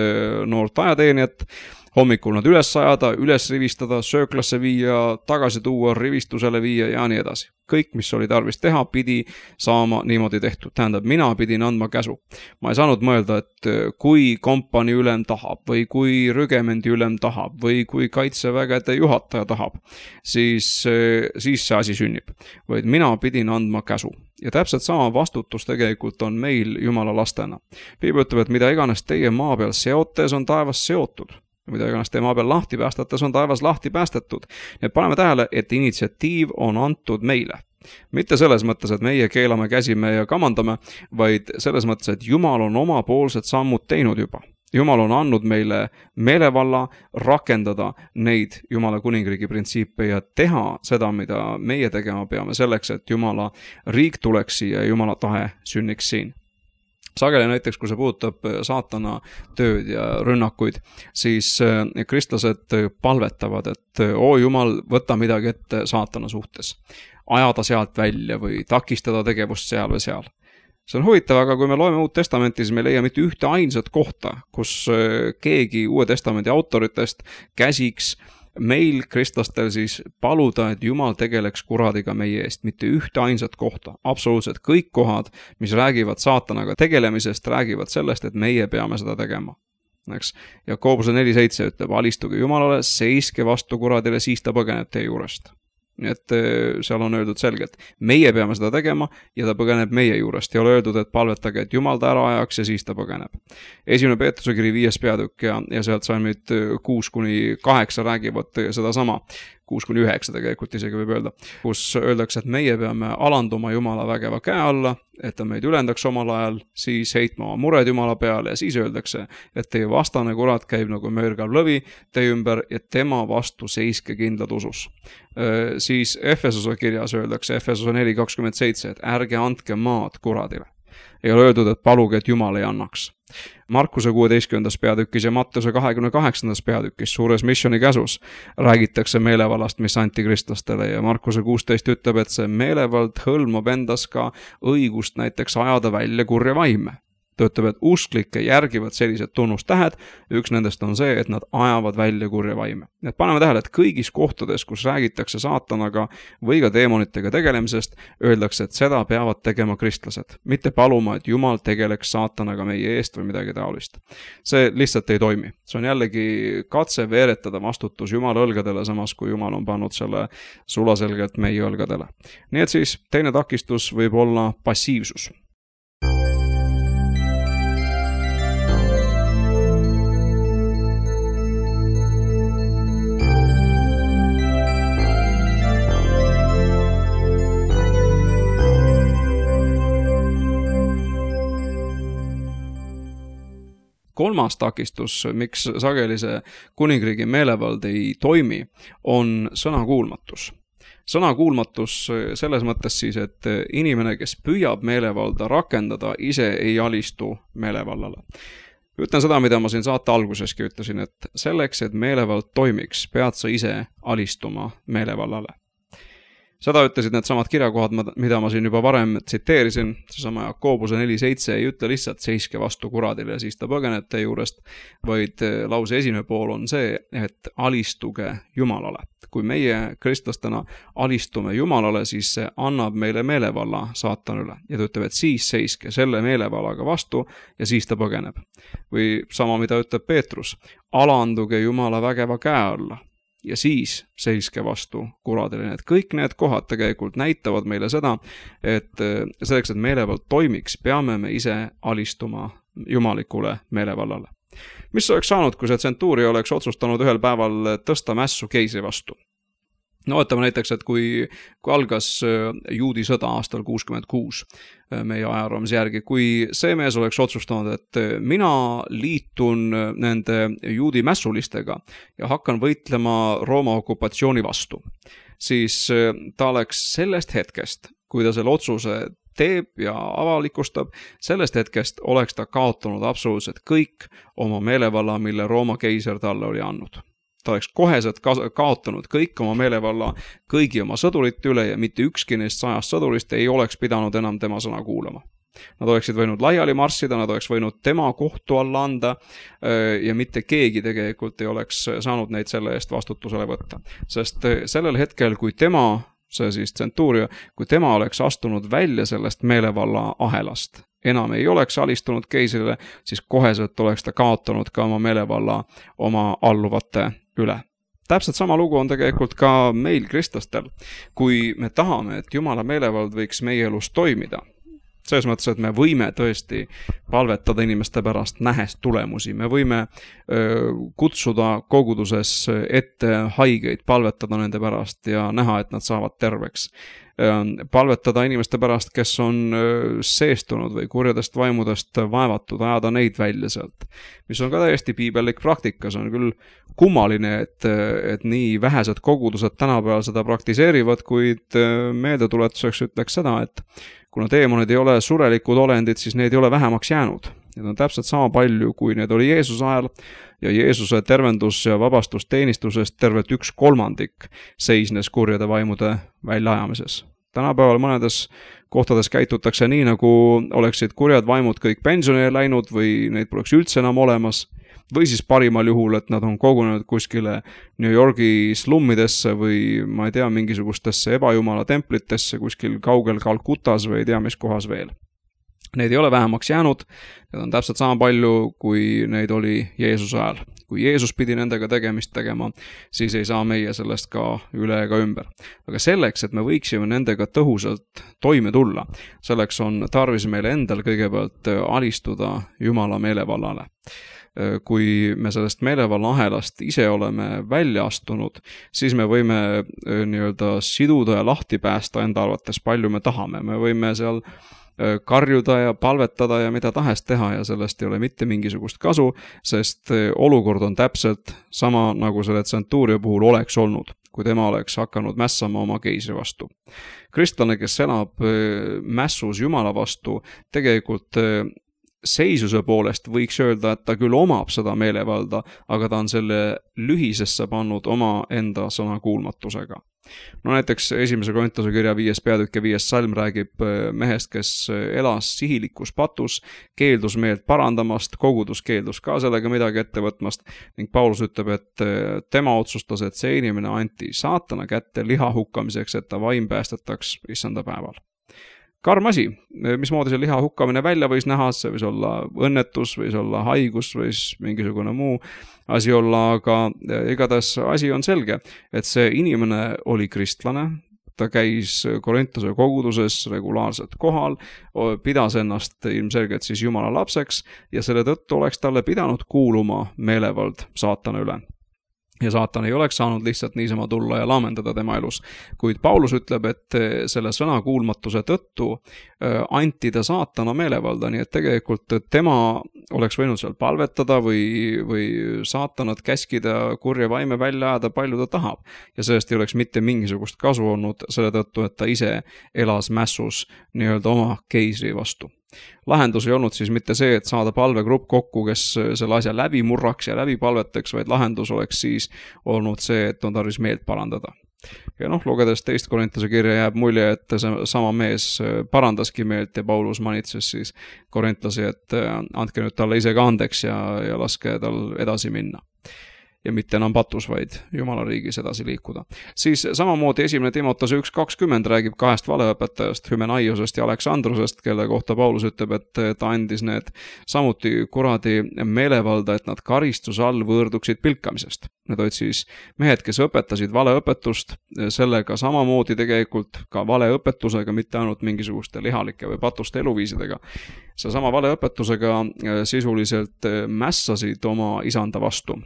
noort ajateenijat, hommikul nad üles sajada, üles rivistada, sööklasse viia, tagasi tuua, rivistusele viia ja nii edasi. Kõik, mis oli tarvis teha, pidi saama niimoodi tehtud. Tähendab, mina pidin andma käsu. Ma ei saanud mõelda, et kui kompani ülem tahab või kui rügemendi ülem tahab või kui kaitsevägede juhataja tahab, siis, siis see asi sünnib. Vaid mina pidin andma käsu. Ja täpselt sama vastutus tegelikult on meil Jumala lastena. Piibel ütleb, et mida iganes teie maa peal seotes on taevas seotud. Mida iganes teie maa peal lahti päästates on taevas lahti päästetud. Nii et paneme tähele, et initsiatiiv on antud meile. Mitte selles mõttes, et meie keelame, käsime ja kamandame, vaid selles mõttes, et Jumal on omapoolsed sammud teinud juba. Jumal on andnud meile meelevalla rakendada neid Jumala kuningriigi printsiipe ja teha seda, mida meie tegema peame selleks, et Jumala riik tuleks siia ja Jumala tahe sünniks siin. sageli näiteks, kui see puudutab saatana tööd ja rünnakuid, siis kristlased palvetavad, et oo Jumal, võta midagi ette saatana suhtes. Ajada sealt välja või takistada tegevust seal või seal. See on huvitav, aga kui me loeme Uut Testamenti, siis me leia mitte ühte ainsat kohta, kus keegi Uue Testamendi autoritest käsiks meil kristlastel siis paluda, et Jumal tegeleks kuradiga meie eest, mitte ühte ainsat kohta. Absoluutselt kõik kohad, mis räägivad saatanaga tegelemisest, räägivad sellest, et meie peame seda tegema. Eks? Jakobuse neli seitse ütleb, alistuge Jumalale, seiske vastu kuradile, siis ta põgeneb teie juurest. Nii et seal on öeldud selgelt, meie peame seda tegema ja ta põgeneb meie juurest. Ei ole öeldud, et palvetage, et Jumal ta ära ajaks ja siis ta põgeneb. Esimene Peetruse kiri viies peatükk ja, ja sealt salmid kuus kuni kaheksa räägivad seda sama. kuus kuni üheksa tegelikult isegi võib öelda, kus öeldakse, et meie peame alanduma Jumala vägeva käe alla, et ta meid ülendaks omal ajal, siis heitma oma mured Jumala peale ja siis öeldakse, et teie vastane kurat käib nagu mörgav lõvi teie ümber ja tema vastu seiske kindlad usus. Siis Efesose kirjas öeldakse, Efesose neli kakskümmend seitse, et ärge andke maad kuradile. Ei ole öeldud, et paluge, et Jumal ei annaks. Markuse kuueteistkümnendas peatükis ja Matteuse kahekümne kaheksandas peatükis suures missioni käsus räägitakse meelevallast, mis antikristlastele ja Markuse kuusteist ütleb, et see meelevald hõlmab endas ka õigust näiteks ajada välja kurja vaime. Ta ütleb, et usklikke järgivad sellised tunnustähed, üks nendest on see, et nad ajavad välja kurja vaime. Et paneme tähele, et kõigis kohtades, kus räägitakse saatanaga või ka deemonitega tegelemisest, öeldakse, et seda peavad tegema kristlased, mitte paluma, et Jumal tegeleks saatanaga meie eest või midagi taolist. See lihtsalt ei toimi. See on jällegi katse veeretada vastutus Jumala õlgadele, samas kui Jumal on pannud selle sulaselgelt meie õlgadele. Nii et siis teine takistus võib olla passiivsus. Kolmas takistus, miks sageli see kuningriigi meelevald ei toimi, on sõnakuulmatus. Sõnakuulmatus selles mõttes siis, et inimene, kes püüab meelevalda rakendada, ise ei alistu meelevallale. Ütlen seda, mida ma siin saate alguseski ütlesin, et selleks, et meelevald toimiks, pead sa ise alistuma meelevallale. Seda ütlesid need samad kirjakohad, mida ma siin juba varem tsiteerisin, seesama Jakobuse neli seitse ei ütle lihtsalt seiske vastu kuradile ja siis ta põgeneb teie juurest, vaid lause esimene pool on see, et alistuge Jumalale. Kui meie kristlastena alistume Jumalale, siis see annab meile meelevalla saatanule ja ta ütleb, et siis seiske selle meelevallaga vastu ja siis ta põgeneb. Või sama, mida ütleb Peetrus, alanduge Jumala vägeva käe alla. Ja siis seiske vastu kuradile. Et kõik need kohad tegelikult näitavad meile seda, et selleks, et meelevald toimiks, peame me ise alistuma jumalikule meelevallale. Mis oleks saanud, kui see tsentuuri oleks otsustanud ühel päeval tõsta mässu keisri vastu? No võtame näiteks, et kui, kui algas juudi sõda aastal kuuskümmend kuus meie ajaraamise järgi, kui see mees oleks otsustanud, et mina liitun nende juudi mässulistega ja hakkan võitlema Rooma okupatsiooni vastu, siis ta oleks sellest hetkest, kui ta selle otsuse teeb ja avalikustab, sellest hetkest oleks ta kaotanud absoluutselt kõik oma meelevalla, mille Rooma keiser talle oli andnud. Ta oleks koheselt kaotanud kõik oma meelevalla kõigi oma sõdurite üle ja mitte ükski neist sajast sõdurist ei oleks pidanud enam tema sõna kuulama. Nad oleksid võinud laiali marssida, nad oleks võinud tema kohtu alla anda ja mitte keegi tegelikult ei oleks saanud neid selle eest vastutusele võtta. Sest sellel hetkel, kui tema, see siis tsentuuria, kui tema oleks astunud välja sellest meelevalla ahelast, enam ei oleks alistunud keisrile, siis koheselt oleks ta kaotanud ka oma meelevalla oma alluvate üle. Täpselt sama lugu on tegelikult ka meil kristlastel, kui me tahame, et Jumala meelevald võiks meie elus toimida. Selles mõttes, et me võime tõesti palvetada inimeste pärast nähes tulemusi. Me võime öö, kutsuda koguduses ette haigeid, palvetada nende pärast ja näha, et nad saavad terveks. Palvetada inimeste pärast, kes on seestunud või kurjadest vaimudest vaevatud, ajada neid välja sealt. Mis on ka täiesti piibellik praktika, see on küll kummaline, et, et nii vähesed kogudused tänapäeval seda praktiseerivad, kuid meeldetuletuseks ütleks seda, et kuna teemonid ei ole surelikud olendid, siis neid ei ole vähemaks jäänud. Need on täpselt sama palju, kui need oli Jeesuse ajal ja Jeesuse tervendus- ja vabastusteenistusest tervelt üks kolmandik seisnes kurjade vaimude väljaajamises. Tänapäeval mõnedes kohtades käitutakse nii, nagu oleksid kurjad vaimud kõik pensionile läinud või neid poleks üldse enam olemas, või siis parimal juhul, et nad on kogunenud kuskile New Yorgi slummidesse või ma ei tea, mingisugustesse ebajumala templitesse kuskil kaugel Kalkutas või ei tea mis kohas veel. Neid ei ole vähemaks jäänud, need on täpselt sama palju, kui neid oli Jeesuse ajal. Kui Jeesus pidi nendega tegemist tegema, siis ei saa meie sellest ka üle ega ümber. Aga selleks, et me võiksime nendega tõhusalt toime tulla, selleks on tarvis meile endal kõigepealt alistuda Jumala meelevallale. Kui me sellest meelevalla ahelast ise oleme välja astunud, siis me võime nii-öelda siduda ja lahti päästa enda arvates palju me tahame. Me võime seal karjuda ja palvetada ja mida tahes teha ja sellest ei ole mitte mingisugust kasu, sest olukord on täpselt sama, nagu selle tsentuuria puhul oleks olnud, kui tema oleks hakanud mässama oma keisri vastu. Kristlane, kes elab mässus Jumala vastu, tegelikult seisuse poolest võiks öelda, et ta küll omab seda meelevalda, aga ta on selle lühisesse pannud oma enda sõnakuulmatusega. No näiteks esimese Korintuse kirja viies peatükk ja viies salm räägib mehest, kes elas sihilikus patus, keeldus meelt parandamast, kogudus keeldus ka sellega midagi ette võtmast ning Paulus ütleb, et tema otsustas, et see inimene anti saatana kätte liha hukkamiseks, et ta vaim päästetaks issanda päeval. Karm asi, mismoodi see liha hukkamine välja võis näha, see võis olla õnnetus, võis olla haigus, võis mingisugune muu asi olla, aga igatahes asi on selge, et see inimene oli kristlane, ta käis Korintuse koguduses regulaarselt kohal, pidas ennast ilmselgelt siis Jumala lapseks ja selle tõttu oleks talle pidanud kuuluma meelevald saatana üle. Ja saatan ei oleks saanud lihtsalt niisama tulla ja laamendada tema elus. Kuid Paulus ütleb, et selle sõna kuulmatuse tõttu anti ta saatana meelevalda, nii et tegelikult tema oleks võinud seal palvetada või, või saatanat käskida kurja vaime välja ajada, palju ta tahab. Ja sellest ei oleks mitte mingisugust kasu olnud selle tõttu, et ta ise elas mässus nii-öelda oma keisri vastu. Lahendus ei olnud siis mitte see, et saada palvegrupp kokku, kes selle asja läbi murraks ja läbi palveteks, vaid lahendus oleks siis olnud see, et on tarvis meelt parandada. Ja noh, lugedes teist Korintuse kirja jääb mulje, et see sama mees parandaski meelt ja Paulus manitses siis korintlasi, et andke nüüd talle ise ka andeks ja, ja laske tal edasi minna. Ja mitte enam patus, vaid Jumala riigis edasi liikuda. Siis samamoodi esimene Timotase üks kakskümmend räägib kahest valeõpetajast, Hümenaiosest ja Aleksandrusest, kelle kohta Paulus ütleb, et ta andis need samuti kuradi meelevalda, et nad karistuse all võõrduksid pilkamisest. Need olid siis mehed, kes õpetasid valeõpetust, sellega samamoodi tegelikult ka valeõpetusega, mitte ainult mingisuguste lihalike või patuste eluviisidega. See sama valeõpetusega sisuliselt mässasid oma isanda vastu.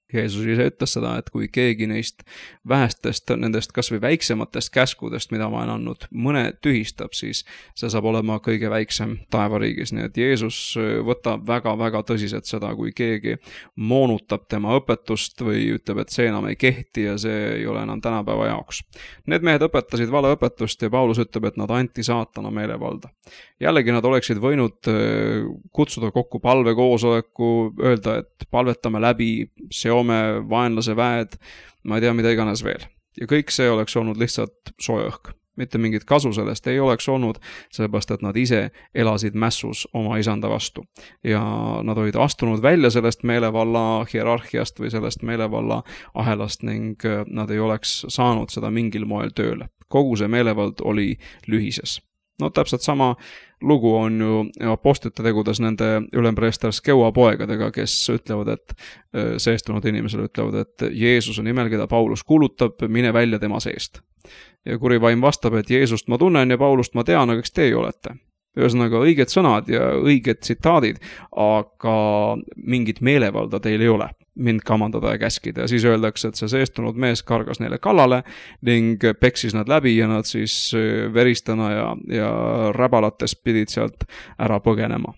Jeesus ise ütles seda, et kui keegi neist vähestest, nendest kas või väiksematest käskudest, mida ma olen andnud, mõne tühistab, siis see saab olema kõige väiksem taevariigis. Nii et Jeesus võtab väga-väga tõsiselt seda, kui keegi moonutab tema õpetust või ütleb, et see enam ei kehti ja see ei ole enam tänapäeva jaoks. Need mehed õpetasid valeõpetust ja Paulus ütleb, et nad anti saatana meelevalda. Jällegi nad oleksid võinud kutsuda kokku palvekoosoleku, öelda, et palvetame läbi, seome vaenlase väed, ma ei tea, mida iganes veel. Ja kõik see oleks olnud lihtsalt soe õhk. Mitte mingit kasu sellest ei oleks olnud, sellepärast, et nad ise elasid mässus oma isanda vastu. Ja nad olid astunud välja sellest meelevalla hierarhiast või sellest meelevalla ahelast ning nad ei oleks saanud seda mingil moel tööle. Kogu see meelevald oli lühises. No täpselt sama lugu on ju apostlite tegudes nende ülempreester Skeua poegadega, kes ütlevad, et seestunud inimesele ütlevad, et Jeesuse nimel, keda Paulus kuulutab, mine välja tema seest. Ja kuri vaim vastab, et Jeesust ma tunnen ja Paulust ma tean, aga kes teie olete? Ühesõnaga õiged sõnad ja õiged tsitaadid, aga mingit meelevalda teil ei ole mind kamandada ja käskida. Ja siis öeldakse, et see seestunud mees kargas neile kallale ning peksis nad läbi ja nad siis veristana ja, ja räbalates pidid sealt ära põgenema.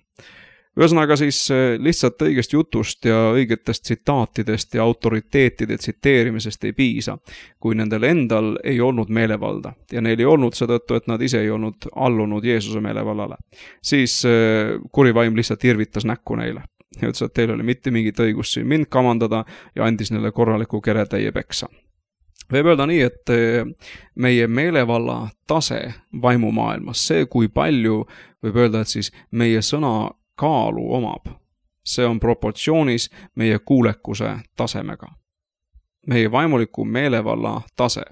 Ühesõnaga siis lihtsalt õigest jutust ja õigetest tsitaatidest ja autoriteetide tsiteerimisest ei piisa, kui nendel endal ei olnud meelevalda ja neil ei olnud seetõttu, et nad ise ei olnud allunud Jeesuse meelevallale. Siis kuri vaim lihtsalt irvitas näkku neile ja ütles, et teil oli mitte mingit õigust siin mind kamandada ja andis neile korraliku keretäie peksa. Võib öelda nii, et meie meelevalla tase vaimumaailmas, see kui palju võib öelda, et siis meie sõna kaalu omab, see on proportsioonis meie kuulekuse tasemega. Meie vaimuliku meelevalla tase,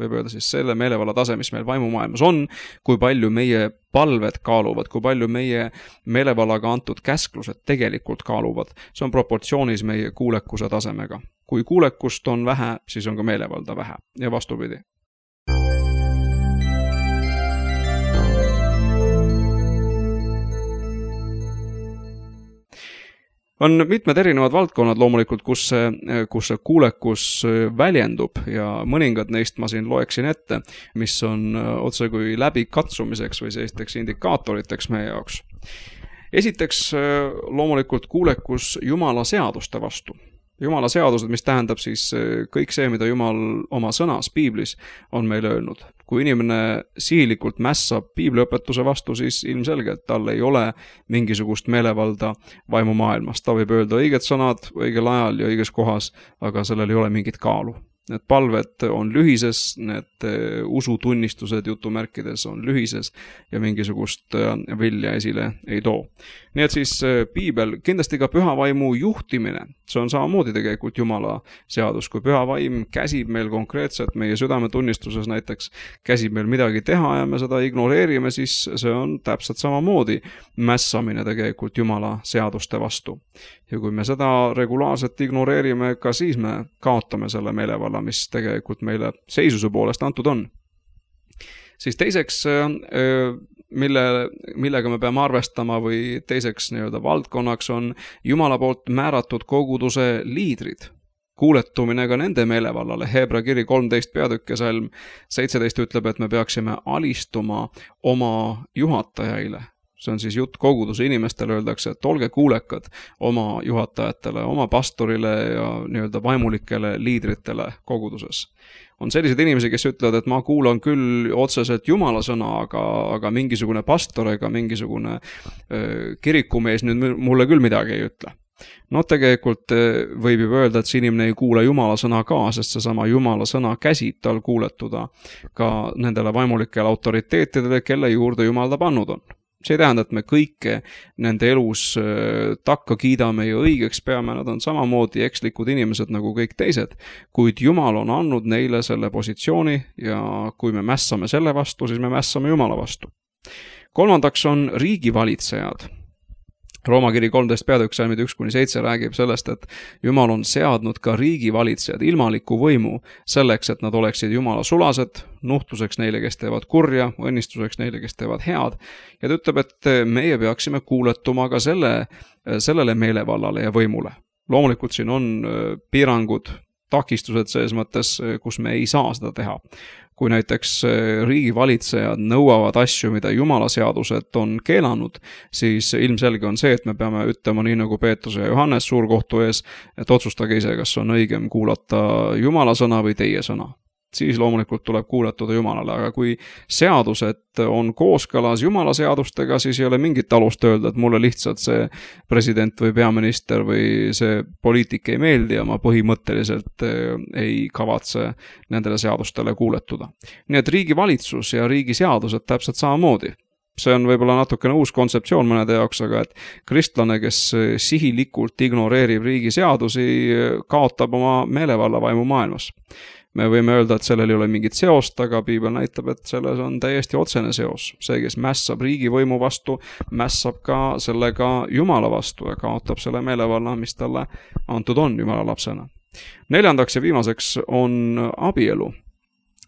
võib öelda siis selle meelevalla tase, mis meil vaimumaailmas on, kui palju meie palved kaaluvad, kui palju meie meelevallaga antud käsklused tegelikult kaaluvad, see on proportsioonis meie kuulekuse tasemega. Kui kuulekust on vähe, siis on ka meelevalda vähe ja vastupidi. On mitmed erinevad valdkonnad loomulikult, kus see, kus see kuulekus väljendub ja mõningad neist ma siin loeksin ette, mis on otse kui läbi katsumiseks või sellisteks indikaatoriteks meie jaoks. Esiteks loomulikult kuulekus Jumala seaduste vastu. Jumala seadused, mis tähendab siis kõik see, mida Jumal oma sõnas Piiblis on meile öelnud. Kui inimene sihilikult mässab piibliõpetuse vastu, siis ilmselgelt tal ei ole mingisugust meelevalda vaimumaailmas. Ta võib öelda õiged sõnad õigel ajal ja õiges kohas, aga sellel ei ole mingit kaalu. Need palved on lühises, need usutunnistused jutumärkides on lühises ja mingisugust vilja esile ei too. Nii et siis Piibel, kindlasti ka püha vaimu juhtimine, see on samamoodi tegelikult Jumala seadus. Kui püha vaim käsib meil konkreetselt meie südametunnistuses näiteks, käsib meil midagi teha ja me seda ignoreerime, siis see on täpselt samamoodi mässamine tegelikult Jumala seaduste vastu. Ja kui me seda regulaarselt ignoreerime, ka siis me kaotame selle meelevalla, mis tegelikult meile seisuse poolest antud on. Siis teiseks, mille, millega me peame arvestama või teiseks nii-öelda valdkonnaks on Jumala poolt määratud koguduse liidrid. Kuuletumine ka nende meelevallale. Hebra kiri kolmteist peatükk ja salm seitseteist ütleb, et me peaksime alistuma oma juhatajaile. See on siis jutt koguduse inimestele, öeldakse, et olge kuulekad oma juhatajatele, oma pastorile ja nii-öelda vaimulikele liidritele koguduses. On sellised inimesi, kes ütlevad, et ma kuulan küll otseselt Jumala sõna, aga, aga mingisugune pastor ega mingisugune äh, kirikumees nüüd mulle küll midagi ei ütle. No tegelikult võib juba öelda, et see inimene ei kuula Jumala sõna ka, sest seesama Jumala sõna käsib tal kuuletuda ka nendele vaimulikele autoriteetidele, kelle juurde Jumal ta pannud on. See ei tähenda, et me kõike nende elus takka kiidame ja õigeks peame, nad on samamoodi ekslikud inimesed nagu kõik teised, kuid Jumal on andnud neile selle positsiooni ja kui me mässame selle vastu, siis me mässame Jumala vastu. Kolmandaks on riigivalitsejad. Rooma kiri kolmteist peatükk salmid üks kuni seitse räägib sellest, et Jumal on seadnud ka riigivalitsejad ilmaliku võimu selleks, et nad oleksid Jumala sulased, nuhtluseks neile, kes teevad kurja, õnnistuseks neile, kes teevad head. Ja ta ütleb, et meie peaksime kuuletuma ka selle, sellele meelevallale ja võimule. Loomulikult siin on piirangud, takistused selles mõttes, kus me ei saa seda teha. Kui näiteks riigivalitsejad nõuavad asju, mida Jumala seadused on keelanud, siis ilmselge on see, et me peame ütlema nii nagu Peetrus ja Johannes suurkohtu ees, et otsustage ise, kas on õigem kuulata Jumala sõna või teie sõna. Siis loomulikult tuleb kuuletuda Jumalale, aga kui seadused on kooskõlas Jumala seadustega, siis ei ole mingit alust öelda, et mulle lihtsalt see president või peaminister või see poliitik ei meeldi ja ma põhimõtteliselt ei kavatse nendele seadustele kuuletuda. Nii et riigivalitsus ja riigiseadused täpselt samamoodi. See on võib-olla natukene uus kontseptsioon mõnede jaoks, aga et kristlane, kes sihilikult ignoreerib riigiseadusi, kaotab oma meelevalla vaimu maailmas. Me võime öelda, et sellel ei ole mingit seost, aga Piibel näitab, et selles on täiesti otsene seos. See, kes mässab riigivõimu vastu, mässab ka sellega Jumala vastu ja kaotab selle meelevalla, mis talle antud on Jumala lapsena. Neljandaks ja viimaseks on abielu.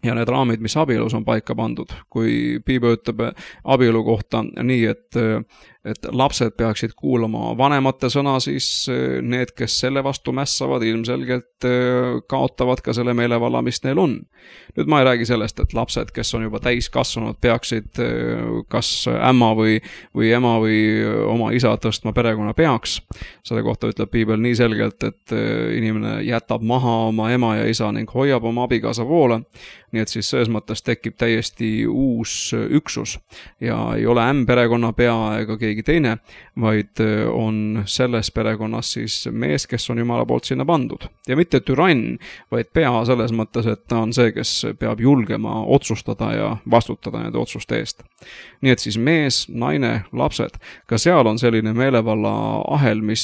Ja need raamid, mis abielus on paika pandud. Kui Piibel ütleb abielu kohta nii, et et lapsed peaksid kuulama vanemate sõna, siis need, kes selle vastu mässavad, ilmselgelt kaotavad ka selle meelevalla, mis neil on. Nüüd ma ei räägi sellest, et lapsed, kes on juba täiskasvanud, peaksid kas ämma või, või ema või oma isa tõstma perekonna peaks. Selle kohta ütleb piibel nii selgelt, et inimene jätab maha oma ema ja isa ning hoiab oma abikaasa poole. Nii et siis selles mõttes tekib täiesti uus üksus ja ei ole ämm perekonna pea ega keegi teine, vaid on selles perekonnas siis mees, kes on Jumala poolt sinna pandud. Ja mitte türann, vaid pea selles mõttes, et ta on see, kes peab julgema otsustada ja vastutada nende otsuste eest. Nii et siis mees, naine, lapsed, ka seal on selline meelevalla ahel, mis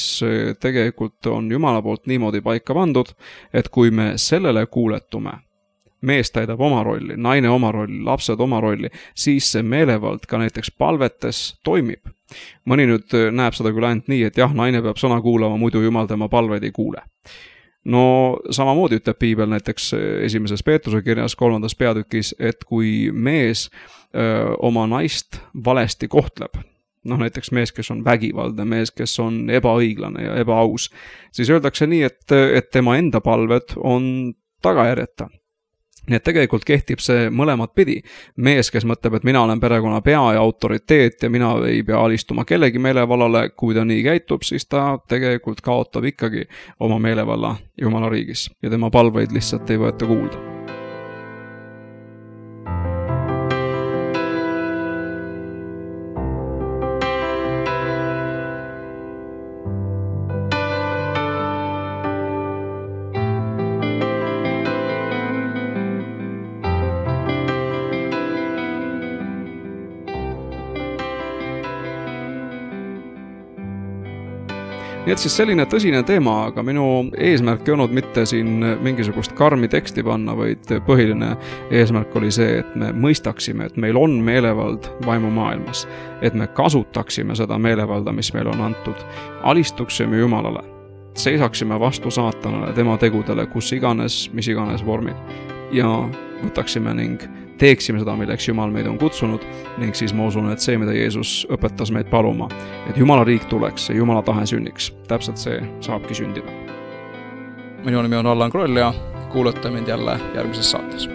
tegelikult on Jumala poolt niimoodi paika pandud, et kui me sellele kuuletume, mees täidab oma rolli, naine oma rolli, lapsed oma rolli, siis see meelevald ka näiteks palvetes toimib. Mõni nüüd näeb seda küll ainult nii, et jah, naine peab sõna kuulama, muidu Jumal tema palveid ei kuule. No samamoodi ütleb piibel näiteks esimeses Peetruse kirjas kolmandas peatükis, et kui mees öö, oma naist valesti kohtleb, noh näiteks mees, kes on vägivaldne, mees, kes on ebaõiglane ja ebaaus, siis öeldakse nii, et, et tema enda palved on tagajärjeta. Nii et tegelikult kehtib see mõlemat pidi. Mees, kes mõtleb, et mina olen perekonna pea ja autoriteet ja mina ei pea alistuma kellegi meelevallale, kui ta nii käitub, siis ta tegelikult kaotab ikkagi oma meelevalla Jumala riigis ja tema palveid lihtsalt ei võeta kuulda. Nii et siis selline tõsine teema, aga minu eesmärk ei olnud mitte siin mingisugust karmi teksti panna, vaid põhiline eesmärk oli see, et me mõistaksime, et meil on meelevald vaimumaailmas, et me kasutaksime seda meelevalda, mis meil on antud, alistuksime Jumalale, seisaksime vastu saatanale, tema tegudele, kus iganes, mis iganes vormid ja võtaksime ning teeksime seda, milleks Jumal meid on kutsunud ning siis ma usun, et see, mida Jeesus õpetas meid paluma, et Jumala riik tuleks ja Jumala tahe sünniks. Täpselt see saabki sündida. Minu nimi on Allan Kroll ja kuulate mind jälle järgmises saates.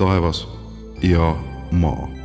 taevas ja maa.